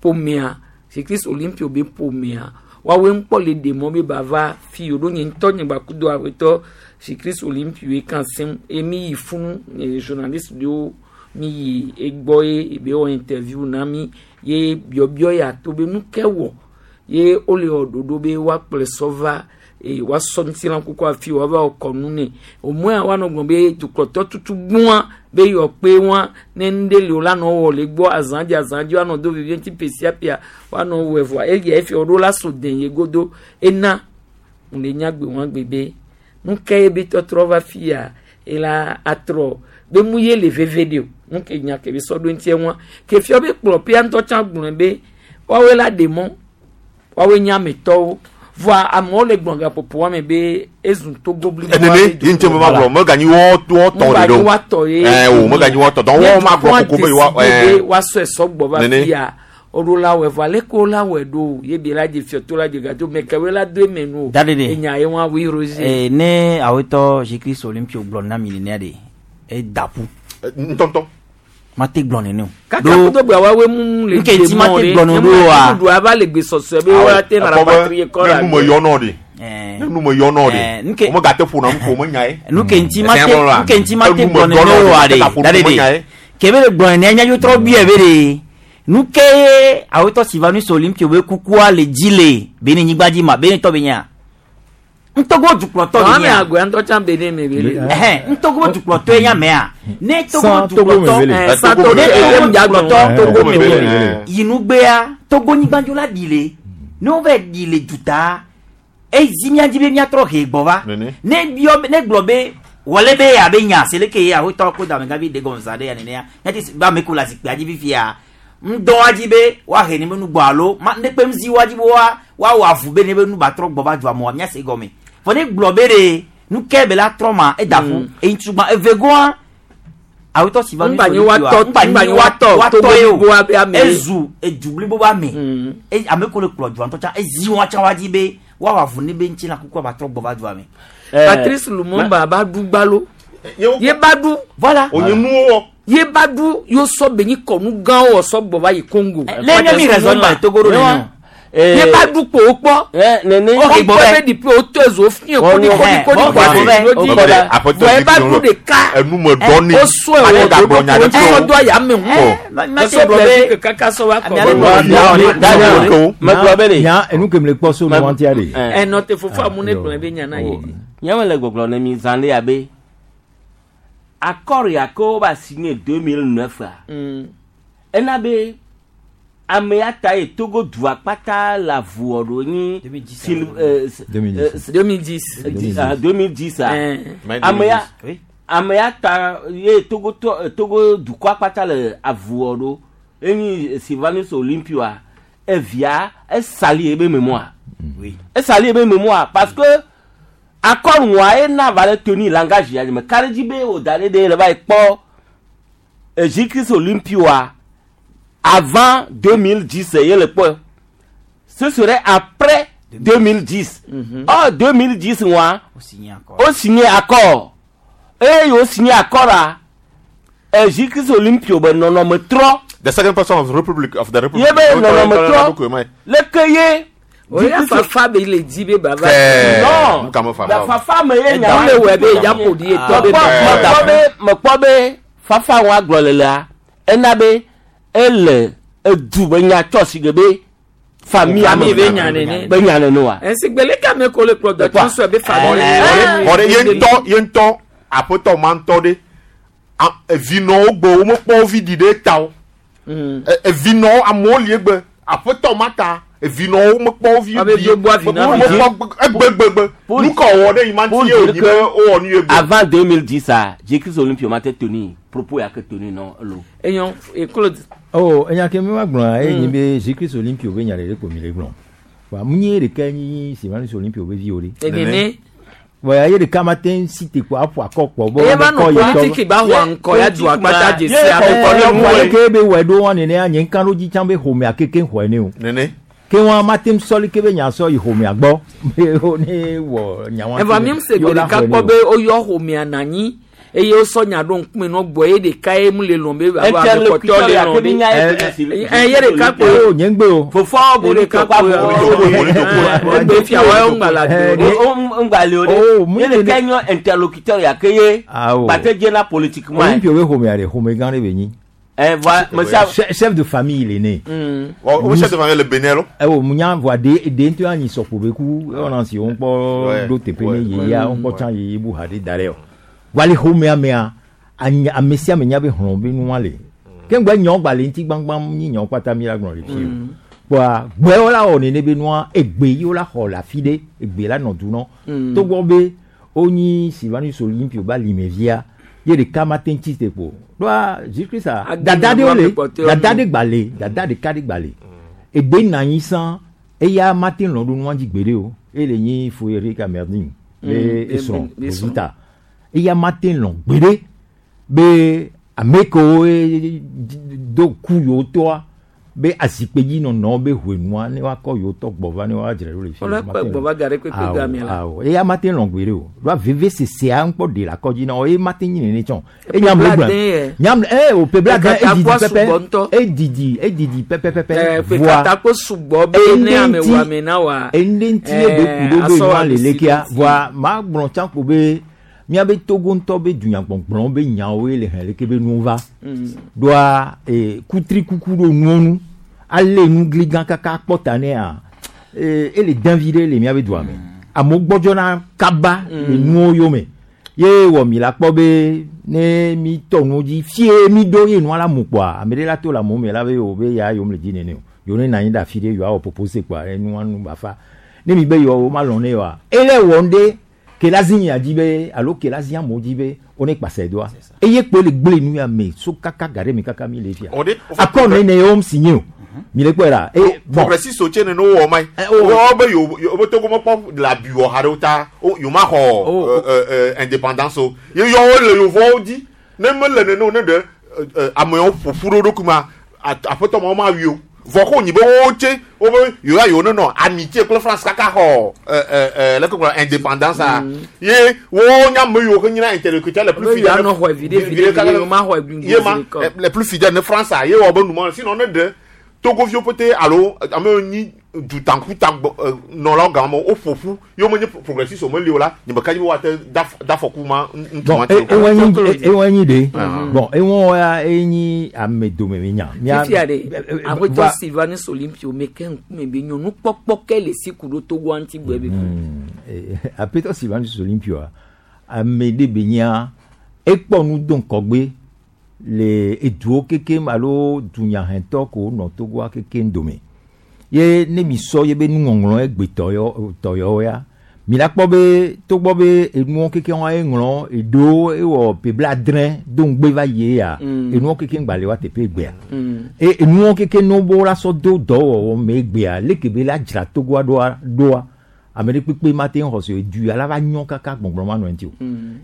ƒomea Jésus Christ Olympio be ƒomea woawoe ŋkpɔ le ɖe mɔ be ba va fi o ɖo nye ŋutɔ nye gba kudo aƒetɔ Jésus Christ Olympio ye kan sem ye mi yi funu journaliste ɖewo mi yi egbɔ ye ebe wɔ interview na mi ye biɔbiɔ ya to be nu ke wɔ ye wole wɔ ɖoɖo be woakplɔe sɔ va eye woasɔ ŋutilã kuku afi woava wɔ kɔnu nɛ omɔa woanɔ gblɔ be dukplɔtɔ tutu gbɔa be yɔ kpe wa ne nu ɖe li o la nɔ wɔ le gbɔ azã dzi azã dzi woanɔ do vevie ŋuti ƒe sia ƒea woanɔ wɔe vɔa eya efi woɖo la so den ye godo ena le nyagbe wɔn gbe be nu ke ye be tɔtrɔ va fia ela atrɔ be mu ye le veve ɖe o nu ke nya ke be sɔ ɖo ŋuti wa ke fia be kplɔ ƒea ŋutɔ tsã gblɔe be Woawoe la ɖe mɔ. Woawoe nye ametɔwo. Vɔa amewo le gblɔ gaƒoƒo wa me be ezu Togo blibo. Enene ye ŋuti me ma gblɔ meganyi wɔ wɔ tɔ Ŋgba ɖe nyi o. woatɔ ye. Ɛɛ o meganyi wɔ tɔ dɔn Ne wɔ ma gblɔ dukɔa koko be yewoa décidé be ɛɛ. woasɔe sɔgbɔ va Nene. fia woɖo la wɔe vɔa leke wo la wɔe ɖo o ye bi la dze fiɔto la dze gadzo mɛ kewoe la do eme nu o. Da ɖeɖe. Enya ye wɔn awoe Roger. Eh, ne awetɔ Jésus Olympio gblɔ na mi nenea ɖe eda ƒu. Ŋutɔŋutɔ. Mate gblɔ nene o. Kaka kudo gbe woawoe mu le Nke ŋuti mate ɖe. gblɔ Ne nene mu oa. ɖu ava le gbesɔsɔe be woate Ekpɔ nara be patrie kɔ ne la nu me yɔ nɔ ɖe. Ne nu me yɔ nɔ ɖe. Nke Womegate ƒona nu ko menya ye. nu ke ŋuti mate Ɛsɛ nu ke ŋuti mate Enu me gblɔ yɔ nene nɔ ɖe, oa ɖe. womegate Da ƒo nu menya ɖeɖe. ye. Kebe le gblɔ nenea míadzo trɔ biɛ be ɖe. Nu ke ye awetɔ Sylvanus Olympio be kukua le dzi le Benin nyigba dzi ma Benin tɔ be nyea. Ŋtogo dukplɔtɔ be Ame nyea. agbe ŋutɔ tsã Benin me be le. Ɛhɛn, ŋtogo dukplɔtɔe nye amea. Ne Togo Sans Togo dukplɔtɔ, me vele. Sans ne Togo Togo me dukplɔtɔ, Togo me vele. yinugbea Togo nyigbadzo la ɖi le. Ne wova ɖi le duta, ezi mía dzi be míatrɔ he gbɔ va. Ne biɔ be- ne gblɔ be wɔle be ya be nya se leke ye awetɔ ko dame gavi de gɔme za ɖe ya nenea. Nyati se- be ame ko le zikpuia dzi fifia. Ŋdɔ dzi be woahe ne be nu gbɔ alo ma ne kpem zi woa dzi be woa woawɔ avu be ne be nu ba trɔ gbɔ va dua me oa míase gɔme. Vɔ ne gblɔ be ɖe nu ke be la trɔ ma eda ƒu. Eyi tugba evegoa awetɔ si va Ŋgba nyi woatɔ- ŋgba nyi woatɔ Togo ye o. bliboa be ame. Ezu edu blibo be ame. E- ame ko le kplɔ dua ŋutɔ tsã ezi wɔn tsã wa dzi be woawɔ avu ne be ŋuti la kukua ba trɔ gbɔ va dua me. Patrice Lumumba ba ɖu gbalo. Ye ba ɖu. Voilà. Onye nuwo wɔ. Ye ba ɖu yo sɔ be nyi kɔnu gãwo wɔ sɔ gbɔ va yi Congo. le nye mi raisonne le Togo ɖo nene o. Ye ba ɖu kpo wo kpɔ. Nene. O gbɔ be depuis o tɔ ezo fiɛ kodi kodi kodi kɔ asi wo dzi. Vɔ ye ba ɖu ɖeka. Enu me dɔ ni. O sɔe wɔ Ate gagblɔ nya ɖe o sɔ o. do aya me hu. Esɔ Belgique kaka sɔ va kɔ. Megblɔ be ɖe. Nya enu ke me le kpɔ so nu ŋutia ɖe. Ɛnɔ te fofo amu ne gblɔ be nya na ye. Nye me le gbɔgblɔ ne mi zã ɖe abe accord ya ke wova signé 2009 a ena be ame ya ta ye Togo dua kpata le avuwɔ ɖo nyi Sil- 2010. 2010 a Eh. ame ya ame ya ta ye Togo tɔ Togo dukɔa kpata le avuwɔ ɖo enyi Sylvanus Olympio a evia esali ebe mémoire esali ebe mémoire parce que accord ŋua ye na va le toni langage ya me ka ɖe dzi be wò da ɖe ɖe le va yi kpɔ Jésus-Christ Olympio a avant 2010 ye le kpɔ ce serait après 2010 or 2010 ŋua o signé accord eye o signé accord a Jésus-Christ Olympio be nɔnɔme trɔ The second person of the Republic of the Republic. ye be nɔnɔme trɔ leke ye. O ya fafa be le dzi be baba. Kɛɛ, Non. nu ka me fafa La o. fafa me ye nya Wo le wɔ be ya ƒo ɖi ye tɔ be. mekpɔ be mekpɔ be fafa wa gblɔ le lea ena be ele edu be nya tsɔ si ge be famille Famille be nya nene. be nya nene wa. Esigbele kame ko le kplɔ dɔtɔ sɔ be famille. Xɔ ɖe ye ŋutɔ ye ŋutɔ aƒetɔ ma ŋutɔ ɖe evinɔwo gbe womekpɔ wo vi ɖi ɖe ta o. Evinɔwo amewo li egbe aƒetɔ ma ta evinɔwo mekpɔ wo vi Abe ɖi gbogbo avi na vi. womekpɔ egbegbegbe nu ka wɔwɔ ɖe yi ma ŋuti ye wònyi be wowɔ nu ye gbe. Avant 2010 a Jésus Olympio ma te toni propos ya ke toni nɔ elo. Eyɔn e Claude. Oh, enya ke mi wa gblɔa ye nyi be Jésus Olympio be nya ɖeɖe ko mi le gblɔ. Wa mu nye ɖeka nyi Sylvanus Olympio be vi o ɖe. Enene. Wa ye ɖeka ma te ŋu si te ko aƒo akɔ kpɔ bɔ. Eye va nɔ politiki ba xɔ ŋkɔ ya du akpata dzesi ame kɔ ne Wa ke be wɔ ɖo wa nenea nye ŋka ɖo dzi tsã be xɔmea keke xɔe ne o. Nene. Ke wa ma te ŋu sɔli ke be nya sɔ yi xɔmea gbɔ. Be wo ne wɔ nya wa. Eva mi se gbe ɖeka kpɔ be woyɔ xɔmea na anyi eye wosɔ nya ɖo ŋkume nɔ gbɔ ye ɖeka ye mu le lɔn be alo ame kpɔtɔewo le lɔn ɖe. Ɛ ye ɖeka kpo. O nye ŋgbe o. Fofoa Ye ɖeka kpo. Egbe fia wa ŋgba la do. ŋgba le o ɖe ye ɖeka nyɔ interlocuteur ya ke ye Awo. gbate dzena politiquement. Olympio be xɔmea ɖe xɔme gã ɖe be nyi. Ɛ voa mesia. Chef de famille il est né. Wo chef de famille le Benin lo. Ɛ wo mu nya voa de de ŋutɔ anyi sɔkpo be ku ewɔna si wo ŋkpɔ ɖo teƒe ne yeyea wo ŋkpɔ tsã yeye bu ha ɖe da ɖe o. Voa le xɔmea mea anyi ame sia ame nya be hlɔ̃ be nua le. Ke ŋgbɛ nyɔ gba le ŋuti gbãgbã nyi nyɔ kpata mi la gblɔ le fi o. Kpoa gbɛwo la wɔ nene be nua egbe yi wo la xɔ le afi ɖe egbe la nɔ du nɔ. Togbɔ be wonyi Sylvanus Olympio be alimevia ye ɖeka ma te ŋuti te kpo. Ɖoa Jésus Christ a Agbe dada nɔ ɖewo le ame kpɔtɔewo dada nu. ɖe gba le dada ɖeka ɖe gba le. Egbe na anyi sã eya mate lɔ̃ ɖo nua dzi gbeɖe o. Ele nyi Fouéric Amerding be esrɔ̃ Rosita. Eya mate lɔ̃ gbeɖe be ame kewo do ku yewo tɔa be azikpe dzi nɔnɔ be ʋenua ne woakɔ yewo tɔ gbɔ va ne woadzra ɖo le fi. Wole kɔ gbɔ va ga ɖe kpekpe gamea la. Awo eya mate lɔ̃ gbeɖe o. Ɖoa veve sesea ŋkpɔ ɖe le akɔdzi na wo eye mate nyi nene tsɔ. Enya me gblɔ. Nyam e o ƒe blaade edidi pɛpɛ. Edidi edidi pɛpɛpɛpɛ. Ƒe katakpo sugbɔ be ne ame wɔ ame na wa. Ende ŋuti ye be ku ɖo be nua le lekea. Voa ma gblɔ tsã ko be míabe Togo ŋutɔ be dunyagbɔgblɔ be nyawoe le hɛn leke be nuwo va. Ɖoa kutrikuku ɖo nuwo nu. Ale nu gli gã kaka kpɔ ta nea. Ele dɛn vi ɖe le míabe dua me. Amewo gbɔdzɔna kaba le nuwo yome. Ye wɔ mi la kpɔ be ne mi tɔ nuwo dzi fie mi ɖo ye nua la mu kpɔa ame ɖe la to le amewo me la be o be ya yom le dzi nene o. Yewo ne nɔ anyi ɖe afi ɖe yewoawɔ popose kpɔa enua nu ba fa. Ne mi be yewoa ma lɔ̃ ne oa ele wɔ ŋɖe ke la zi mia dzi be alo ke la zi amewo dzi be wo ne kpase doa. Eye kpoe le gblẽ nu ya me so kaka ga ɖe me kaka mi le fia. Akɔ ne ne yewo si nye o. Mi le kpɔe la. E bon. Progressiste tse ne no wɔ ma yi. Wɔ be yo yo be Togo mekpɔ le abi wɔ ha ɖe wo ta wo yo ma xɔ indépendance o. Ye yɔ wo le yevuawo dzi. Ne mele nene o ne ɖe amewo ƒoƒu ɖe wo ɖokui ma aƒetɔ ma wo ma wui o. Vɔ ko nyi be wo tse wo be yo ya yo ne nɔ amitié kple France kaka xɔ leke gblɔ indépendance a. Ye wo nya ame yiwo ke nyina intellectuel le plus fidèle. Be yewoanɔ xɔe viɖe viɖe viɖe yewo ma xɔe gbingbo Ye ma le plus fidèle ne France a ye wɔ be numɔ sinon ne ɖe Togoviwo pete alo ame yiwo nyi dutankuta nɔlawo gama wo ƒoƒu ye wo menye progressiste wo meli o la nye meka dzi be woate da afɔku ma ŋutsu Bon, ma ti o. ewɔ nyi ɖe. Bon, ewɔ ya enyi ame dome mi nya. Fifia ɖe, aƒetɔ Sylvanus Olympio me ke ŋkume be nyɔnu kpɔkpɔ ke le si ku ɖo Togoa ŋuti gbɔe be. Aƒetɔ Sylvanus Olympio ame ɖe be nyia ekpɔ nu do ŋkɔgbe le eduwo kekem alo dunyahɛtɔ ko nɔ Togoa kekem dome. Ye ne mi sɔ ye be nuŋɔŋlɔ egbe tɔyɔ tɔyɔ ya mi la kpɔ be togbɔ be enuwo kekem wa eŋlɔ eɖewo ewɔ ƒe blaadre do ŋugbe va yie ya enuwo kekem gba le wa teƒe egbea. E enuwo kekem ne wo la sɔ do dɔwɔwɔ me egbea leke be la dzra Togoa ɖoa ɖoa ame ɖe kpekpe ma te ŋu xɔ se edu ya la va nyɔ kaka gbɔgblɔ ma nɔ eŋuti o.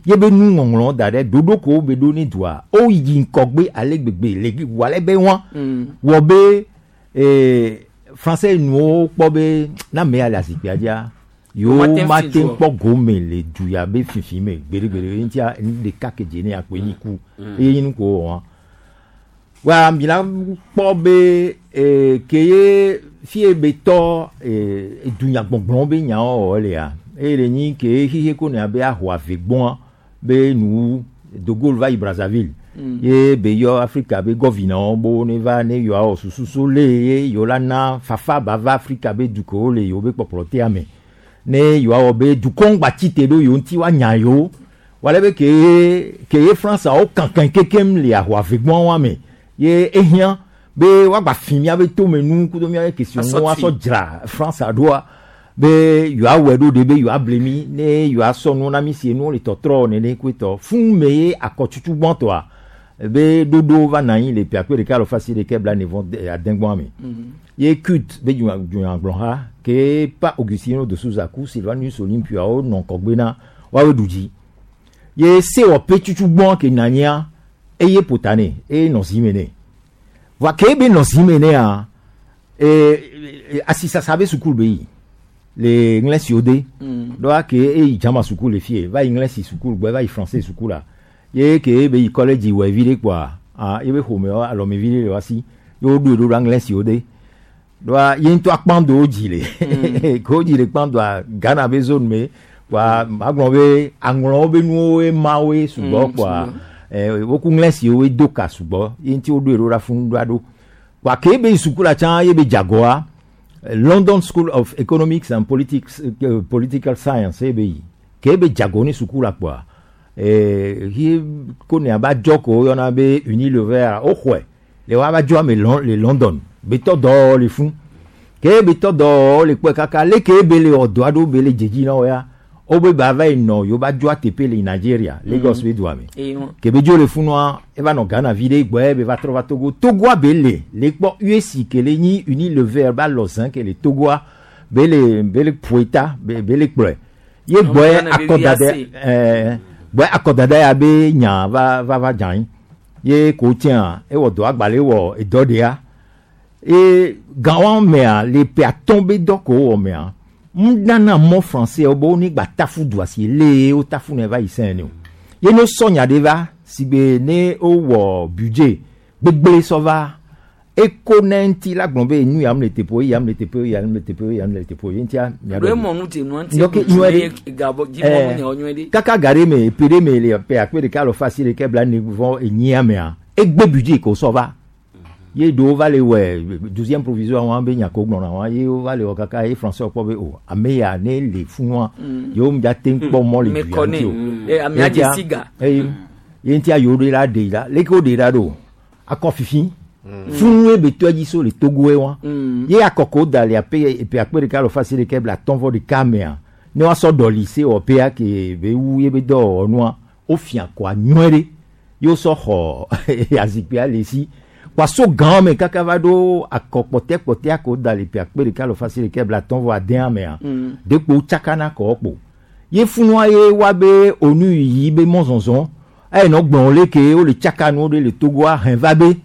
Ye be nuŋɔŋlɔ da ɖe ɖoɖo ko be ɖo ne dua o yi ŋkɔgbe ale gbegbe le wɔ ale be wa wɔ be français nuwo kpɔ be na ame ya le azikpuia dzia yewo ma te kpɔ gome le du ya be fifi me gbeɖegbeɖe ŋutia nu ɖeka ke dze ne akpoe nyi ku eye nyi nu ko wɔ wa. Wa mi la kpɔ be ke ye fie be tɔ dunyagbɔgblɔ be nyawo wɔ lea eye le nyi ke xixe ko ne abe ahɔ ave gbɔa be nu De Gaulle va yi Brazzaville ye be yɔ Afrika be gɔvinawo bo ne va ne yewoawɔ susu so le ye yewo la na fafa ba va Afrika be dukɔwo le yewo be kpɔkplɔ tea me ne yewoawɔ be dukɔwo ŋgba tsi te ɖo yewo ŋuti woanya yewo wale be ke ke ye Franceawo kankan kekem le ahɔ ave gbɔa wa me ye ehiã be woagba fi míabe tomenu kudo míabe kesinɔnuwo asɔ dzra France ɖoa be yewoawɔe ɖo ɖe be yewoable mi ne yewoasɔ nuwo na mi si enuwo le tɔtrɔ nene koe tɔ fún me ye akɔtutu gbɔtɔa be ɖoɖo va nɔ anyi le ƒe akpe ɖeka alo fasi ɖeke bla ne vɔ adegbɔa me ye CUD be dunyagblɔha ke pa Augustino de Souza ku Sylvanus Olympio nɔ ŋkɔgbe na woawoe ɖu dzi ye sewɔƒe tutu gbɔ ke nɔ anyia eye ƒo ta nɛ eye nɔ zi me nɛ voa ke be nɔ zi me nɛa asisasa be sukulu be yi le ŋlɛsiwo de ɖoa ke eyi dzama sukulu le fie va yi ŋlɛsi sukulu gbɔ va yi français sukulu la ye ke be yi collège wɔ vi ɖe kpoa ah ye be ƒome alɔme vi ɖe le wa si ye woɖoe ɖo ɖa ŋlɛsiwo de ɖoa ye ŋutɔ akpando dzi le ke wodzi le kpandoa Ghana be zone me kpoa magblɔ be aŋlɔwo be nuwo mawoe sugbɔ kpoa woku ŋlɛsiwo do ka sugbɔ ye ŋuti woɖoe ɖo ɖa funu ɖoa ɖo kpoa ke be yi sukula tsã ye be dzagoa London School of Economics and Politics, Political Science ye be yi ke be dzago ne sukula kpoa hi ko ne aba dzɔ ko woyɔna be Unilever woxɔe le wa va dzɔ ame le London betɔ dɔ le fún ke betɔ dɔ le kpɔe kaka leke be le wɔ dɔ aɖewo be le dzedzi na wo ya Wobe ba va yi nɔ yewo ba dzoa teƒe le Nigeria, Lagos be dua me. Eye wa. Ke be dzo le funua, eva nɔ Ghana vi ɖe gbɔe be va trɔ va Togo. Togoa be le, le kpɔ USI ke le nyi Unilever ba lɔ zẽ ke le Togoa, be le be le ƒoe ta, be be le kplɔe. Ye Ame gbɔe Ghana be akɔdada VAC. gbɔe akɔdada ya be nya va va va dze anyi. Ye ko tsɛa, ewɔ dɔ agbalẽ wɔ edɔ ɖea. Ye gawa mea le ƒe atɔ̃ be dɔ ko wowɔ mea, nunana mɔ français wo be wo ne gba tafu dua si le wo tafu ne va yi sɛn ne o. Ye ne wosɔ nya ɖe va si be ne wowɔ budget gbegble sɔ va eko ne ŋuti la gblɔ be nu ya mu le teƒe ya mu le teƒe ya mu le teƒe ya mu le teƒe ye ŋutia mia Ɖo ɖɔ emɔ nu dze nua ŋuti Donc, ɖu nyuie dzu ɖe. ye gabɔ dzi mɔnu nyawo nyuie ɖe. Kaka ga ɖe me ƒe ɖe me le ƒe akpe ɖeka alɔfa asi ɖeke bla ne vɔ enyia mea egbe budget ko sɔ va ye ɖewo va le wɔ douzième provisoire wɔn be nya ko gblɔna wɔn ye wo va le wɔ kaka ye français kpɔ be o ame ya ne le funua yewo ŋdza te kpɔ mɔ le Me du ya kɔ ŋuti o. nɛ. Eh, amea Ye dze ŋutia- si ga. eye ye ŋutia yewo ɖe la ɖe la leke wo ɖe la ɖo akɔ fifi funu ye be tɔ dzi so le Togo ye wa ye akɔkɔ da le ape epe akpe ɖeka alɔfa asi ɖeke bla atɔ̃ vɔ ɖeka mea ne woasɔ ɖɔli se wɔƒea ke be wu ye be dɔwɔnua wofia kɔa nyuie ɖe ye wosɔ xɔ azikpuia le si kpaso gã me kaka va ɖo akɔ kpɔtɛ ko da le ƒe akpe ɖeka alɔfa asi ɖeke bla atɔ̃ vɔ adea mea ɖekpo tsakana kɔ kpo ye funua ye wa be onu yi be mɔzɔzɔ eye nɔ gblɔ le ke wo le tsaka nuwo ɖe le Togoa hɛn va be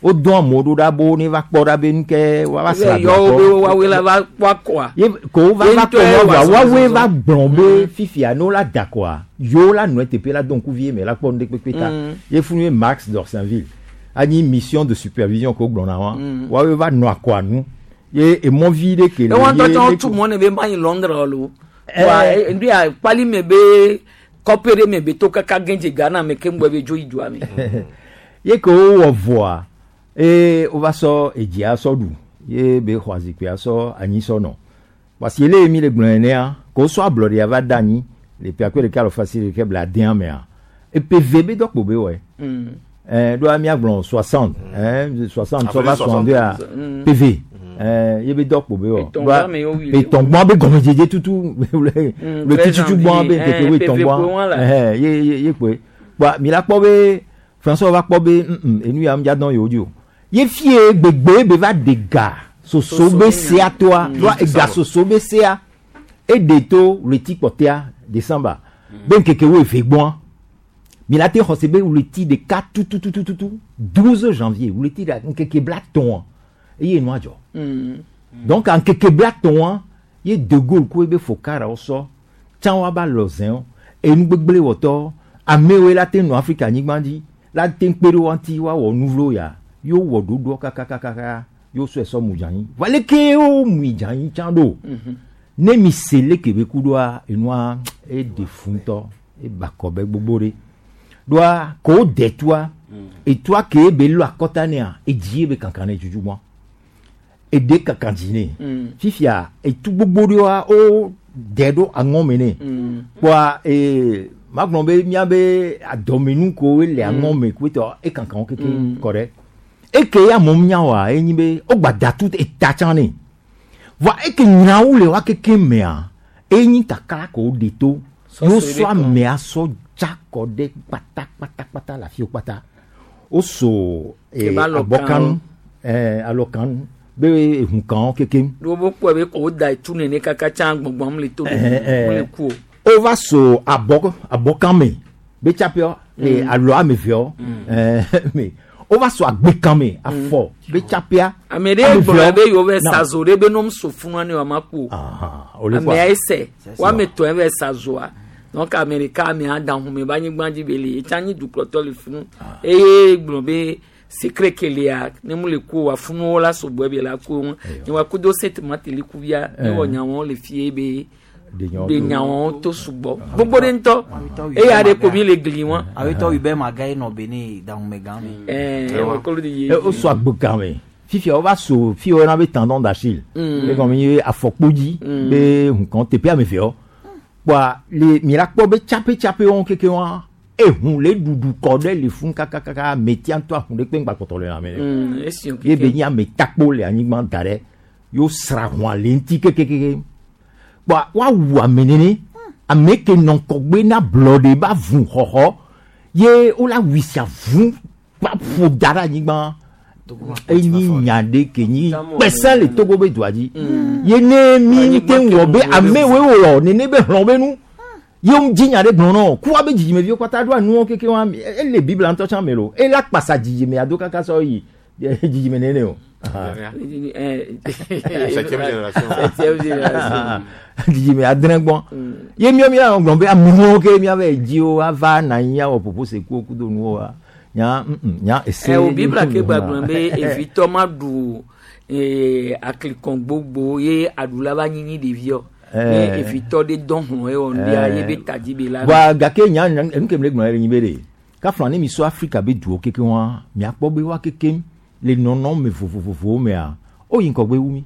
wodɔn amewo ɖo ɖa bo ne va kpɔ ɖa be nuke wa va sra Yɔwo dua be kpɔ. woawoe la va kpɔ akɔa. Ye ko wo va Ye va ŋutɔe kpɔ wɔ nua vɔa woawoe azɔzɔzɔ. va gblɔ be fifia ne wo la da kɔa yewo la nɔe teƒe la do ŋkuvi me la kpɔ nu ɖe kpekpe ta ye funu ye Max Dorsainville anyi mission de supervision ko gblɔna wa woawoe va nɔ akɔa nu ye emɔvi ɖe ke le Ewa ŋutɔ ye tsã le wotu mɔ ne be ma yi Londres lo. Eh. Wa ndu ya kpali me be kɔpe ɖe me be to kaka gɛn dze Ghana me keŋ gbɔ be dzo yi dua me. ye ke wowɔ vɔa eye wova sɔ edzia sɔ ɖu ye be xɔ azikpuia sɔ anyi sɔ nɔ parce que ele mi le gblɔ nenea ko wosɔ ablɔɖea va da anyi le ƒe akpe ɖeka alɔfa asi ɖeke bla adea mea eƒe ve be dɔkpo be wɔe ɖoa miagblɔ 60 60 sɔ va 62 a PV ye be dɔkpo be wɔ Etɔ̃ gbã me yewo wui le. etɔ̃gbɔa be gɔmedzedze tutu le 13 tututu gbɔa be janvier, ŋkeke wo PV etɔ̃gbɔa kpoe wɔn la. ye ye ye kpoe kpoa mi la kpɔ be François va kpɔ be enu ya ŋdza dɔn yewo dzi o ye fie gbegbe be va de ga soso be sea toa ɖoa ega soso be sea eɖe to ɣleti kpɔtɛa décembre be ŋkeke wo eve gbɔa mi la te xɔ se be ɣleti ɖeka tututututu 12 janvier ɣleti ɖe ŋkeke bla tɔ̃a eye nua dzɔ donc ŋkeke bla tɔ̃a ye de Gaulle ku ebe fokarawo sɔ tsã wa ba lɔ zɛ̃wo enu gbegble wɔtɔ amewoe la te nɔ Afrika nyigba dzi la te kpe ɖe wa ŋuti woawɔ nu vlo ya yewo wɔ ɖoɖoa kakakaka yewo sɔe sɔ mu dze anyi va leke wo mui dze anyi tsã ɖo ne mi se leke be ku ɖoa enua eɖe fu ŋutɔ eba kɔ be gbogbo ɖe ɖoa ko wo de tua etua ke be lɔ akɔta nea edzi ye be kankan ne dzudzu gbɔ eɖe kankan dzi ne fifia etu gbogbo ɖewoa wo de ɖo aŋɔ me ne kpoa magblɔ be miabe adɔmenu ko le aŋɔ me ko etɔ ekankan wo keke kɔ ɖe eke ya mɔ nya wa enyi be wogba da tu eta tsã ne voa eke nyawo le wa keke mea enyi kakla ko wo ɖe to Sɔ yewo so sɔ ɖe kɔ. amea sɔ dza kɔ ɖe kpata kpata kpata le afi wo kpata woso Ebe alɔkanu. abɔkanu alɔkanu be ehunkanwo kekem Ɖo wo kpɔe be ko wo da etu nene kaka tsã gbɔngbɔm le to ɖe mo le ku o. wova so abɔ abɔkan me be tsaƒeɔ alɔ ame veɔ me wova so agbekan me afɔ be tsaƒea Ame ɖe gblɔ be yewo va sa zo ɖe be nom so funua ne wòama ku o. ole kɔa. Amea ese woame etɔ̃ va sa zoa. Donc ame ɖeka amea da hume be anyigba dzi be le etsã nyi dukplɔtɔ le funu eye gblɔ be secret ke lia ne mu le ku o wa funuwo la sɔgbɔ be la ku ŋu. Ne wa ku do set mateli ku via ne wɔ nyawo le fie be de nyawo to sugbɔ gbogbo ɖe ŋutɔ eya ɖe ko mi le gli wa. Awetɔ Hubert Maga ye nɔ Benin dahume gã me. Ɛɛ wɔkɔlu de ye. Woso agbekan me fifia wova so fi woyɔna be tendon d'Achille egɔme nye afɔkpodzi be hukan teƒe ame veɔ kpoa le mi la kpɔ be tsaƒe tsaƒe wɔn keke wa ehun le ɖuɖu kɔ ɖe le fún kakakaka ametia ŋutɔ ahun ɖe kpe ŋgba kpɔtɔ le lãme nɛ Esi o ye be nye ametakpo le anyigba da ɖe yewo sra hũa le ŋuti kekekeke kpoa woawu ame nene Ame ke nɔ ŋkɔgbe na blɔɖe ba vu xɔxɔ ye wola wui sia vu va ƒo da ɖe anyigba. Enyi nya ɖe ke nyi kpesẽ le Togo be dua dzi. Ye ne mi te ŋu wɔ be amewoe wɔ nene be hlɔ̃ be nu ye wo dzi nya ɖe gblɔ nɔ kua be dzidzimeviwo katã ɖoa nuwo keke wa ele Biblia ŋutɔ tsã me lo ela kpasa dzidzime ado kaka sɔ yi dzidzime nene o. Septième génération. Septième génération. Dzidzime adre gbɔ ye miɔ mia gblɔ be amewo ke miave dziwo ava na anyi awɔ ƒoƒo sekuwo kudo nuwo wa nya nya ese. Ɛ o Biblia ke gbagblɔ be evitɔ ma ɖu aklikɔn gbogbo ye aɖula va nyinyi ɖeviɔ. Ne evitɔ ɖe dɔn hlɔ̃ ye wɔ ŋɖia ye be tadzi be la. Wa gake nya nu ke mi le gblɔ le nyi be ɖe kafla ne mi sɔ Afrika be duwo keke wa miakpɔ be wa keke le nɔnɔme vovovovowo mea woyi ŋgɔgbe wu mi.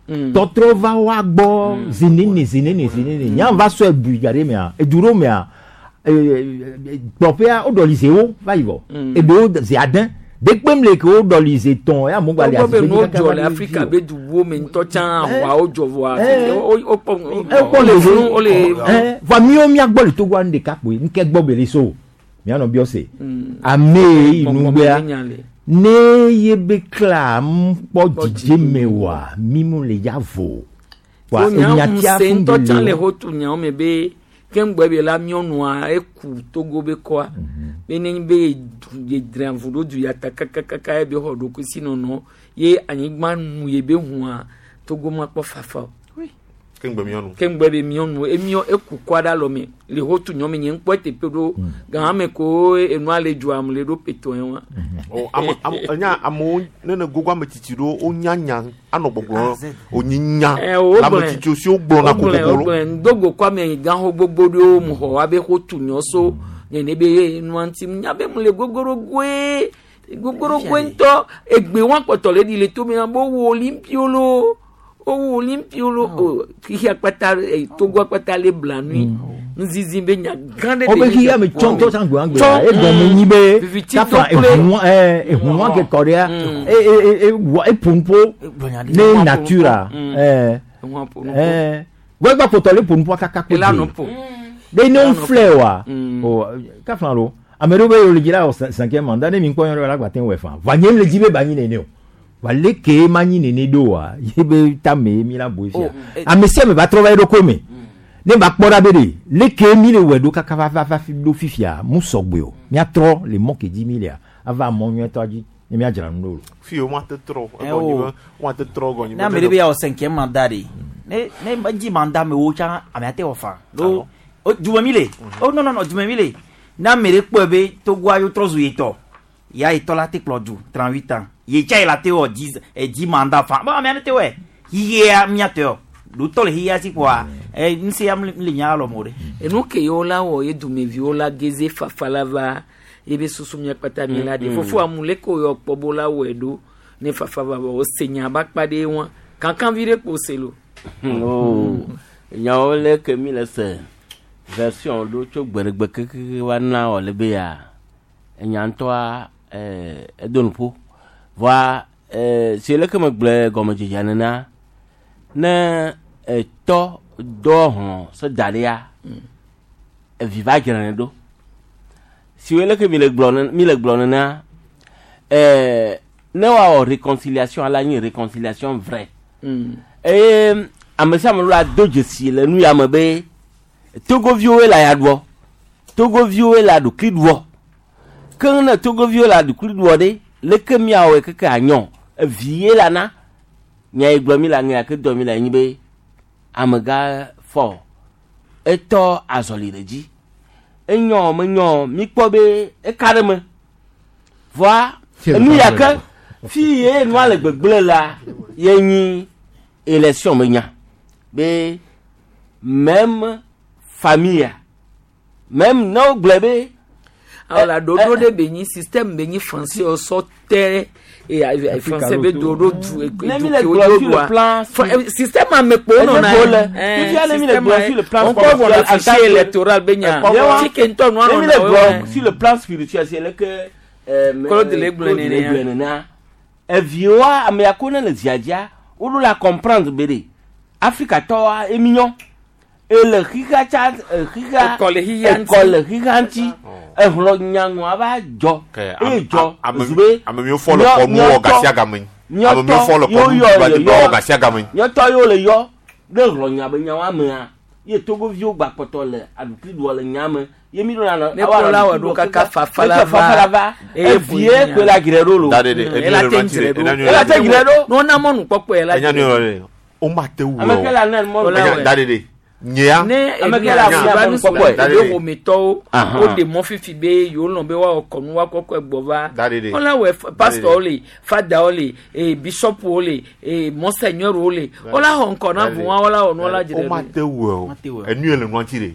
Tɔtrɔ va wa gbɔ zinene zinene zinene nya va sɔe bui ga ɖe mea edu ɖewo mea kplɔƒea woɖɔli zewo va yi vɔ eɖewo ze ade dekpem le ke woɖɔli ze tɔn ya amewo gba le Togbɔ be asi nuwo kaka dzɔ va le ɖe Afrika dzi o. be duwo me ŋutɔ tsã aʋawo dzɔ vɔa wokpɔ ekpɔ le funu wole vɔa miwo miagbɔ le Togoa nu ɖeka kpoe nke gbɔ be le so mianɔ biɔ se ame yi nugbea ne ye be kla kpɔ dzidzeme wa mi mu le ya vo wa wonya enyatia ŋusẽ fún ŋutɔ tsã be le le hotu nyawo me be ke ŋgbɔ be la nyɔnua eku Togo be kɔa be ne be ye dre avu ɖo du ya ta kakakaka ye be xɔ ɖokuisi nɔnɔ ye anyigba nu ye be hua Togo ma kpɔ fafa o. Ke ŋgbe miɔnu. Ke ŋgbɔ be miɔnu emiɔ eku kɔa ɖe alɔme le hotu nyɔ me nye ŋkpɔ teƒe ɖo gã me ko enua le dzoa me le ɖo petɔ ye wa. O ame ame enya amewo ne ne gogo ame tsitsi ɖewo wonya nya anɔ gbɔgblɔ wonyi nya Eh, wo le ame gblɔe. tsitsiwo si wogblɔna Wogblɔe, kokoko wogblɔe. Ŋdogo kɔ ame gãxo gbogbo ɖewo mu xɔ abe xotu nyɔ so nene be nua ŋuti nya be mu le gogorogoe gogorogoe ŋutɔ egbe wa kpɔtɔ le ɖi le tome na be wowu olimpio lo wowu olimpio lo o xixia kpata Togo kpata le blanui nuzizi be nya gã ɖe wo be le xixia me tsɔ ŋutɔ tsã gbɔa Tsɔ, gbea egɔme nyi be viviti kafla do kple- ehunua ehunua ke kɔ ɖea e e e e wɔ eƒo nuƒo ne natura Ehun ƒo nuƒo. gbɛgbɛ ƒotɔ le ƒo nuƒoa kaka kpe Ela dze. nu ƒo. Ɖe ne wo filɛ wa Mm. o kafla lo ame ɖewo be yewo le dzi la wɔ cinquième mandat ne mi kpɔ nyɔ ɖe la gba te wɔ fa va nye le dzi be ba nyi nene o wa leke ma nyi nene ɖo wa ye be tame ye mi la bo fia ame sia ame va trɔ va ye ɖokui me ne va kpɔ ɖa be ɖe leke mi le wɔe ɖo kaka va va va fi ɖo fifia mu sɔgbe o miatrɔ le mɔ ke dzi mi lea ava mɔ nyuietɔ dzi ne miadzra nu ɖo. Fi wo ma te trɔ Eh, egɔnyi o. be wo ma te trɔ gɔnyi Ne ame ɖe be yawɔ cinquième mandat ɖe ne ne dzi mandat me wo tsã ame ate wɔ fa ɖo o dume mi le o non non non dume mi le ne ame ɖe kpɔe be Togoa yewo trɔ zu yetɔ ya yetɔ la te kplɔ du 38 ans ye tsa yi la te wɔ 10 10 mandat fa bon ame aɖe te wɔe xixia miatɔ yɔ ɖo tɔ le xixia si kpoa ɛ nu sia le mia lɔ mo ɖe. enu ke yewo la wɔ ye dumeviwo la geze fafa la va ye be susu mia kpata mi la de fofo amu le ko yɔ kpɔ bo la wɔe ɖo ne fafa va vɔ wose nya ba kpa ɖe wa kankan vi ɖe kpo se lo. Oh, nyawo le ke mi le se version ɖo tso gbeɖegbe kekeke va na wɔ le be ya enya ŋutɔa edo nuƒo vɔa si leke megblɔe gɔmedzedzea nena ne etɔ dɔ hlɔ̃ se da ɖea evi va dzrane ɖo si wo leke mi le gblɔ mi le gblɔ nena ne woawɔ réconciliation ala nyi réconciliation vraie eye ame sia ame ɖo la do dzesi le nu ya me be togoviwoe le aya ɖuɔ togoviwoe le aɖukli ɖuɔ ke ne togoviwo le aɖukli ɖuɔ ɖe leke miawɔe keke anyɔ evi ye la na nya yi gblɔ mi le aŋe ke dɔ mi le anyi be amegã fɔ etɔ azɔli ɖe dzi enyɔ menyɔ mi kpɔ be eka ɖe me vɔa enu ya ke fi ye nua le gbegblẽ la ye nyi élection me nya be même famille même ne wogblɔe be Alors la ɖoɖo ɖe be nyi système be nyi français sɔ tɛ e français be ɖoɖo du Ne mi le gblɔ sur le plan système ame kpo nɔna Eze le fifia ne mi le gblɔ sur le plan on kɔ spirituel vɔ en tant fichier que- électoral be nya fi ke ŋutɔ nua Ne mi le nɔna gblɔ sur le plan spirituel c'est le que Claude le gblɔe Claude le nenea. gblɔe nenea eviwoa ame ya ko ne le zia dzia woɖo la comprendre be ɖe afrikatɔwoa emi nyɔ Ele xixia tsa e, xixia Ekɔ le xixia ŋuti. ekɔ le xixia ŋuti. Ehlɔ nyaŋua va dzɔ. Ke Eye dzɔ ame zu be ame miwo fɔ le kɔnu wɔ gasiagame. Ame miwo fɔ le kɔnu yɔ ba le di wɔ gasiagame. Nyɔtɔ yiwo le yɔ ɖe hlɔ nya be nyawoa mea ye togoviwo gba kpɔtɔ le aɖukli ɖuɔ le nya me ye mi ɖo na Ne kplɔ la wɔ ɖo kaka fafa la va. fafa la va Eye evie ƒo koe la dzre ɖo lo Da ɖe ɖe, enu Ela le te ŋuti dzre ɖe, ɖo. enu le Ela te ŋuti dzre ɖe. ɖo Ne wona mɔnukpɔkpɔe la Enya dzre nu ɖo. yɔ ɖe. O ma te wu Ame ke la ne mɔnu Ola Enya wɛ. da ɖe ɖe. Nyea. Ne Ame ke enu la ya fia va nu mɔnukpɔkpɔe. Da ebe ɖe ɖe. ƒometɔwo Ahan. woɖe mɔ fifi be yewo lɔn be woawɔ kɔnu woakɔkɔe gbɔ va. Da ɖe ɖe. Wola wɔ pasitɔwo le, fadawo le, ee bisɔpuwo le, ee mɔsɛnyɔruwo le. Wola xɔ ŋkɔ na vua wola wɔ nu wola dzre O ma ɖo. te wu o. Enu yɛ le nua ŋuti ɖe.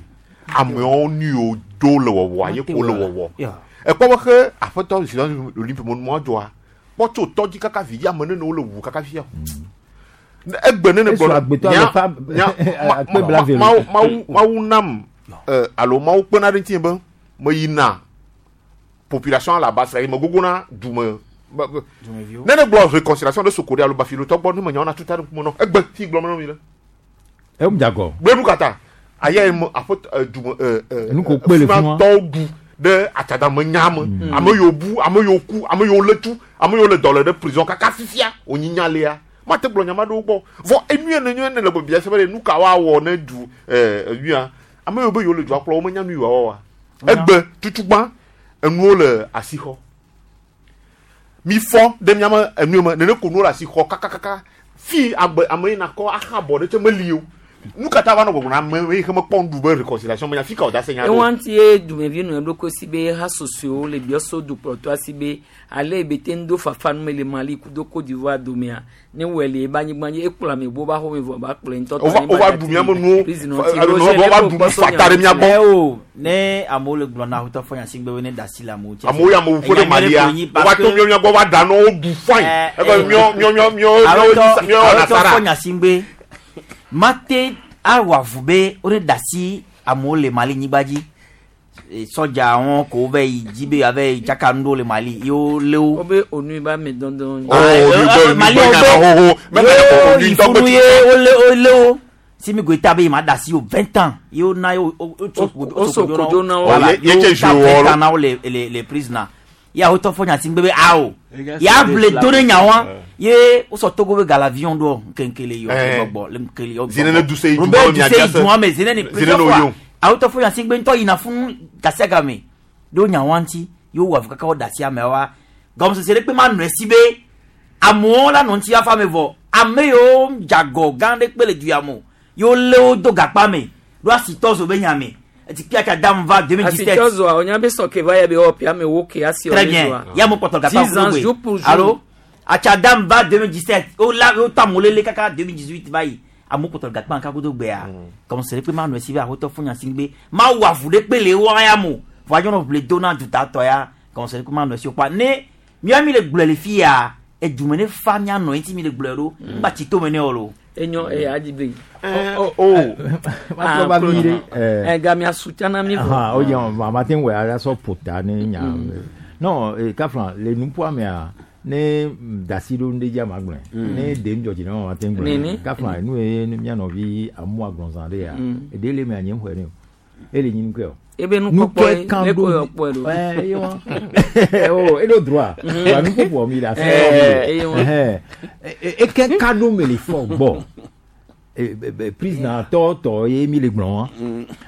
Amewo nu yiwo do le wɔwɔ ye ko le wɔwɔ. Ekpɔ be xe aƒetɔ si olympe mo nua dzɔa. Kpɔ tso tɔdzi kaka vi dzi ame nene wo le wu kaka fia. Ne Egbe nene Esu gblɔ agbetɔ nya- ale fa- nya- ma- akpe ma- blave Mawu lo. Mawu Mawu nam ɛ, alo Mawu kpena ɖe ŋutinye be meyina population la base me gogo na dume be- be- ne ne gblɔ réconciliation ɖe soko ɖe alo bafilotɔ gbɔ ne menyawo na tuta ɖe ŋkume nɔ egbe fi gblɔm na mi le Eŋu dzagɔ. gblẽ nu kata aya yi me aƒetɔ ɛ, dume ɛ, ɛ, Nu ko kpe le fi ma. tɔwo ɖu ɖe atsadame nya me ame yiwo bu ame yiwo ku ame yiwo lé tu ame yiwo le dɔ le ɖe prison kaka fifia wònyi nya lia mate gblɔ nya ma ɖewo gbɔ vɔ enu yɛ ne nyɔ ne le bia se be ɖe nu ka woawɔ ne du ɛ enuya ame yiwo be yiwo le dua kplɔ wo menya nu yi woawɔ wa egbe tutugbã enuwo le asixɔ mi fɔ ɖe miame enu me nene ko nuwo le asixɔ kakakaka fi agbe ame yi nakɔ aha bɔ ɖe tse meli o nu katã va nɔ gbɔgbɔ na ame yi ke mekpɔ nuɖu be réconciliation menya fi ka wòda se nya ɖo Ewa ŋuti ye dumevi nɔ eɖokui si be ha sosoewo le biɔso dukplɔtɔa si be ale ebe te ŋu do fafa nu me le Mali kudo Côte d'Ivoire domea ne wɔe le ebe anyigba dzi ekplɔ ame gbɔ ba xɔme vɔ ba kplɔe ŋutɔ Wova- wova ɖu miame nuwo, alo wova ɖu nu fata ɖe mía gbɔ. Ɛ o ne amewo le gblɔ na aƒetɔ fɔ nya si gbe be ne da asi le amewo dzi. amewo ya amewo ƒo ɖe Enya nyuie Malia ɖe ko nyi wova parce to que- míɔ mía gbɔ va ɖa nɔ wo ɖu fain ebe míɔ míɔ míɔ míɔ Aƒetɔ míɔ wɔna aƒetɔ sara fɔ nya si gbe mate awɔ avu be wone da asi amewo le Mali nyigba dzi. E, Sɔdza wɔn ko wova yi dzi be yewoava yi tsaka nu ɖewo le Mali ye wolé wo. Wobe onu ba me dɔndɔn. Oh, onu be- Mali onu be wo nya na xoxo. Mɛ ye nya wo yi onu ŋutɔ funu be ye wolé wolé wo. Si mi goeta be ma da asi o 20 ans ye wo na ye wo wo tso wo so kodzo na wo. Voilà, Oh, ye- ye ye tse wo ta joué wɔ 20 ans na wo le le le prison na. Ye awotɔ fɔ nya si gbe be awo. Ya ble la- do ɖe nya wa ye wosɔ Togo be galavion ɖo ŋkeŋke le yɔ Eh. gbɔgbɔ le ŋkele yɔ. Zinene gbɔgbɔ. du se yi du Robert ma mia Duce yi dia se. du ame zinene Zinene plusieurs o fois. yo. Awotɔ fɔ nya si gbe ŋutɔ yina fún gasiagame ɖo nya wa ŋuti ye wowɔ avu kaka wo da asi amewoa. Gɔmesese ɖe kpe ma nɔ esi be amewo la nɔ ŋuti afa me vɔ ame yiwo dzagɔ gã ɖe kpe le du ya me o ye wolé wo do gakpa me ɖo asitɔ zo be nya me eti kpia dam va 2017 Asitɔ zoa wonya be sɔke va ya be wɔ pia me wo ke asi Très bien. Ya mo kpɔtɔ gakpa 10 ans jour pour jour. Allo Atchadam va 2017. O la o ta molele kaka 2018 va yi. Amo kpɔtɔ gakpa nka kodo gbea. Comme c'est pe ma no si va hoto fun nya singbe. Ma wa vu de pe le wa ya mo. Voyons no ble dona du ta to ya. Comme c'est pe ma no si o pa ne mi ami le gblɔ le fi ya. E dumene fa mia no enti mi le gblɔ ɖo. Ngba tsi to me ne o lo. Enyo e adi be. Oh. Ma trɔ va vi ɖe, eh. Ɛ gamia sutiana mi vɔ. Ah, oye, ma te ŋu wɔ asɔ ƒota ne nya. Non, eh, kafla le nuƒoa mea ne dasi ɖo nu ɖe dzi ama gblɔe. Ne ɖe ŋdzɔ dzi na ma te ŋu gblɔe. Nene. Kafla nu ye ne mía nɔvi amu agblɔzã ɖe ya. Eɖe le mea nye ŋu xɔe ne o. Ele nyi nukɛ o. Ebe nukpɔkpɔ ye, kan ne ko ɖo yɔ kpɔe ɖo. Ɛ ye wa. Oh, eɖo droit. Wa nuƒoƒoa mi le afi. Eh, eye wa. Ɛhɛn. Eke ka ɖo me le fɔ gbɔ. Prisoner tɔ tɔ ye mi le gblɔ wa.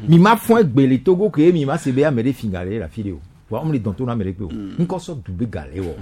Mi ma fɔ egbe le Togo ke mi ma se be ame ɖe fi ga le le afi ɖe o. Wa ame le dɔn to na ame ɖe kpe o. Ŋkɔ sɔ du be ga le wɔ.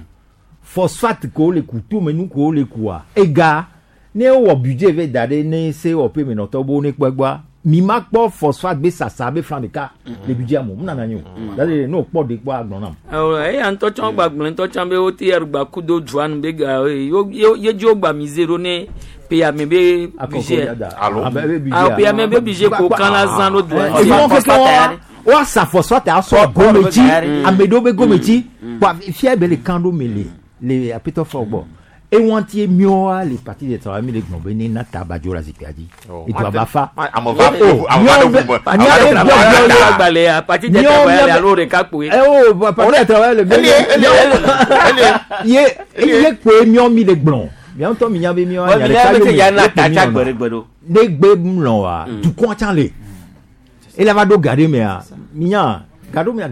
Phosphate ko le ku tome nu ko le kua. Ega ne wowɔ budget ve da ɖe ne se wɔƒe me nɔtɔ bo ne kpɔ egbɔa mi ma kpɔ phosphate be sasa be flan ɖeka le budget me o mu nana nyi o. Dade ne o kpɔ de kpɔ agblɔ nam. Awɔ eya ŋutɔ tsã gba gblẽ ŋutɔ tsã be wote arugba kudo dua nu be ga ye ye ye dzi wogba mise ɖo ne peame be budget. Alo. Ah, peame be budget ko kan la zã ɖo dua ŋuti. Enuwo keke wa woasa phosphate asɔ gome dzi ame ɖewo be gome dzi kpa fia be le kan ɖo me le le apetɔ fɔ gbɔ ewantie miɔa le parti de travail mi le gblɔ be ne na ta abadzo le zikpuia dzi edu aba fa. Ame va ame va ɖe ʋu me. Ame va ɖe ʋu me. Agbalẽa parti de travail le alo ɖeka kpoe. Eh oh, parti de travail le ye ye kpoe miɔ mi le gblɔ miawo ŋutɔ mi nya be miɔ Wa mi nya nya ɖeka be yome ya na ye kpo ta miɔ tsa nɔ. gbeɖegbe ɖo. Ne gbe mlɔ wa dukɔa tsã le. Ele va ɖo ga ɖe mea, minya ga ɖo mea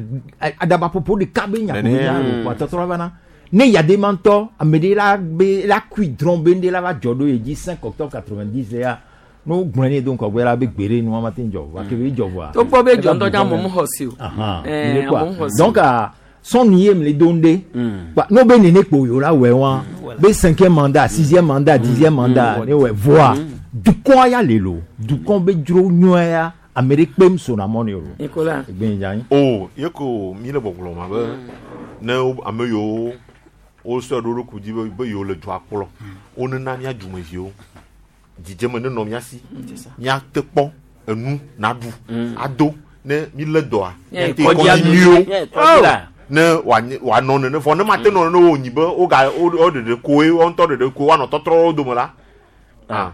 aɖabaƒoƒo ɖeka be nya ko Nene. nya o tɔtrɔ va na. Ne yadema ŋutɔ ame ɖe la be la kui drɔ̃ be ŋɖe la va dzɔ ɖo ye dzi 5 octobre 90 ya ne wogblɔe nɛ do ŋgɔgbe la be gbeɖe nua ma te ŋu dzɔ o gake be dzɔ vɔa. Togbɔ be dzɔ eva ŋutɔ bu tsã vɔ amewo mɛ. mexɔ se o. Ahan, Eh, mi le kpɔa. amewo mexɔ se o. Donc ah, sɔnni ye mi le do ŋɖe. Kpa n'o be nene kpo yewo la wɔ wa be cinquième mandat, sixième mandat, dixième mandat ne wɔ voa dukɔa ya le lo dukɔ be dzro nyɔa ya ame ɖe kpem sona mɔ ne o. Nicolas. Egbe yi dza anyi. O ye ko mi le gbɔgblɔ ma be ne ame yiwo wosɔ ɖo ɖokui dzi be yewo le dua kplɔ wonena mía dumeviwo dzidzeme nenɔ mía si míate kpɔ enu naɖu ado ne mi lé dɔa Míayi míate kɔdzi kɔdzi ado. nyuiwo Míayi kɔdzi la. ne wòanɔ nene vɔ ne mate nɔ nene wònyi be woga wo ɖeɖe koe woa ŋutɔ ɖeɖe koe woanɔ tɔtrɔ wo dome la ah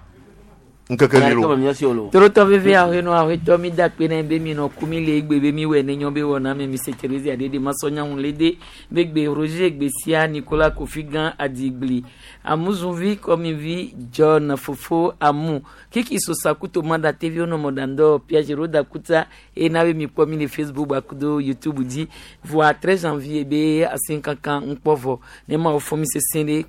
ŋkeke li lo. Torotɔ veve ahenɔ ahetɔ mi da kpe na be mi nɔ ku mi le egbe be mi wɔ ne nyɔ be wɔ na mi mi se Therese aɖe de masɔ nyaŋu le de be gbe Roger gbe sia Nicolas Kofi Gã Adigli Amuzunvi Kɔmivi John Fofo Amu Kiki Sosakuto Mada TV wonɔ mɔɖaŋdɔ Piagero Dakuta eye na be mi kpɔ mi le Facebook gbakudo YouTube dzi voa 13 janvier be asinkankan ŋkpɔ vɔ ne ma wo fɔ mi sese ɖe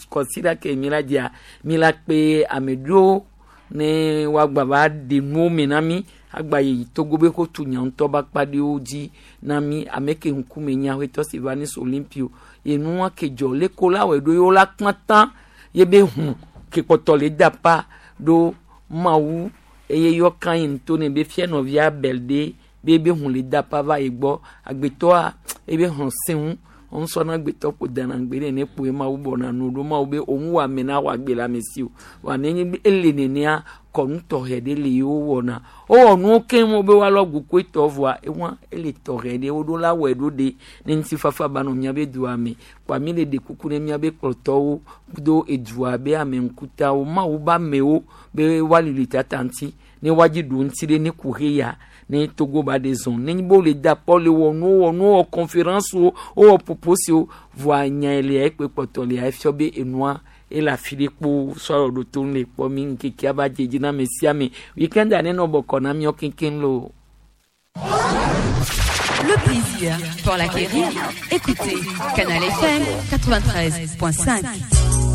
kɔsiɖa ke mi la dzia mi la kpe ame ɖewo ne woagba va ɖe nuwo me na mi agba yi Togo be ko tu nya ŋutɔ be akpa ɖewo dzi na mi ame ke ŋkume nya aƒetɔ si va ne so Olympio ye nua ke dzɔ le ko la wɔe ɖo ye wo la kpã tã ye be hu ke kpɔtɔ le da pa ɖo Mawu eye yɔ kan yi ŋutɔ ne be fia nɔvia Abel ɖe be ebe hu le da pa va yi gbɔ agbetɔa ebe hlɔ̃ sẽ ŋu ŋusɔ na agbetɔ ƒo dana gbe ɖe ne kpoe Mawu bɔna nu ɖo Mawu be òun wɔ ame na wɔ agbe le ame si o wa nenye be ele nenea kɔnu tɔxɛ ɖe le yewo wɔna wowɔ nuwo keŋ wo be woalɔ gukoe tɔ vɔa ewa ele tɔxɛ ɖe woɖo la wɔe ɖo ɖe ne ŋutifafa ba nɔ miabe dua me kpoa mi le ɖe kuku ne miabe kplɔtɔwo kudo edua be ame ŋkutawo Mawu be amewo be woalili tata ŋuti ne woadzi ɖu ŋuti ɖe ne ku he ya ne Togo ba ɖe zɔn ne nyi be wole da kpɔ le wɔ nuwo wɔ nuwo wɔ conférence wo wowɔ poposiwo voa nya lia ekpe kpɔtɔ lia efiɔ be enua ele afi ɖe kpo sɔrɔ ɖo to nu le kpɔ mi ŋkekea va dze dzi na ame sia ame weekend ne nɔ bɔkɔ na miɔ keŋkeŋ lo. Le plaisir pour l'acquérir. Écoutez Canal FM 93.5.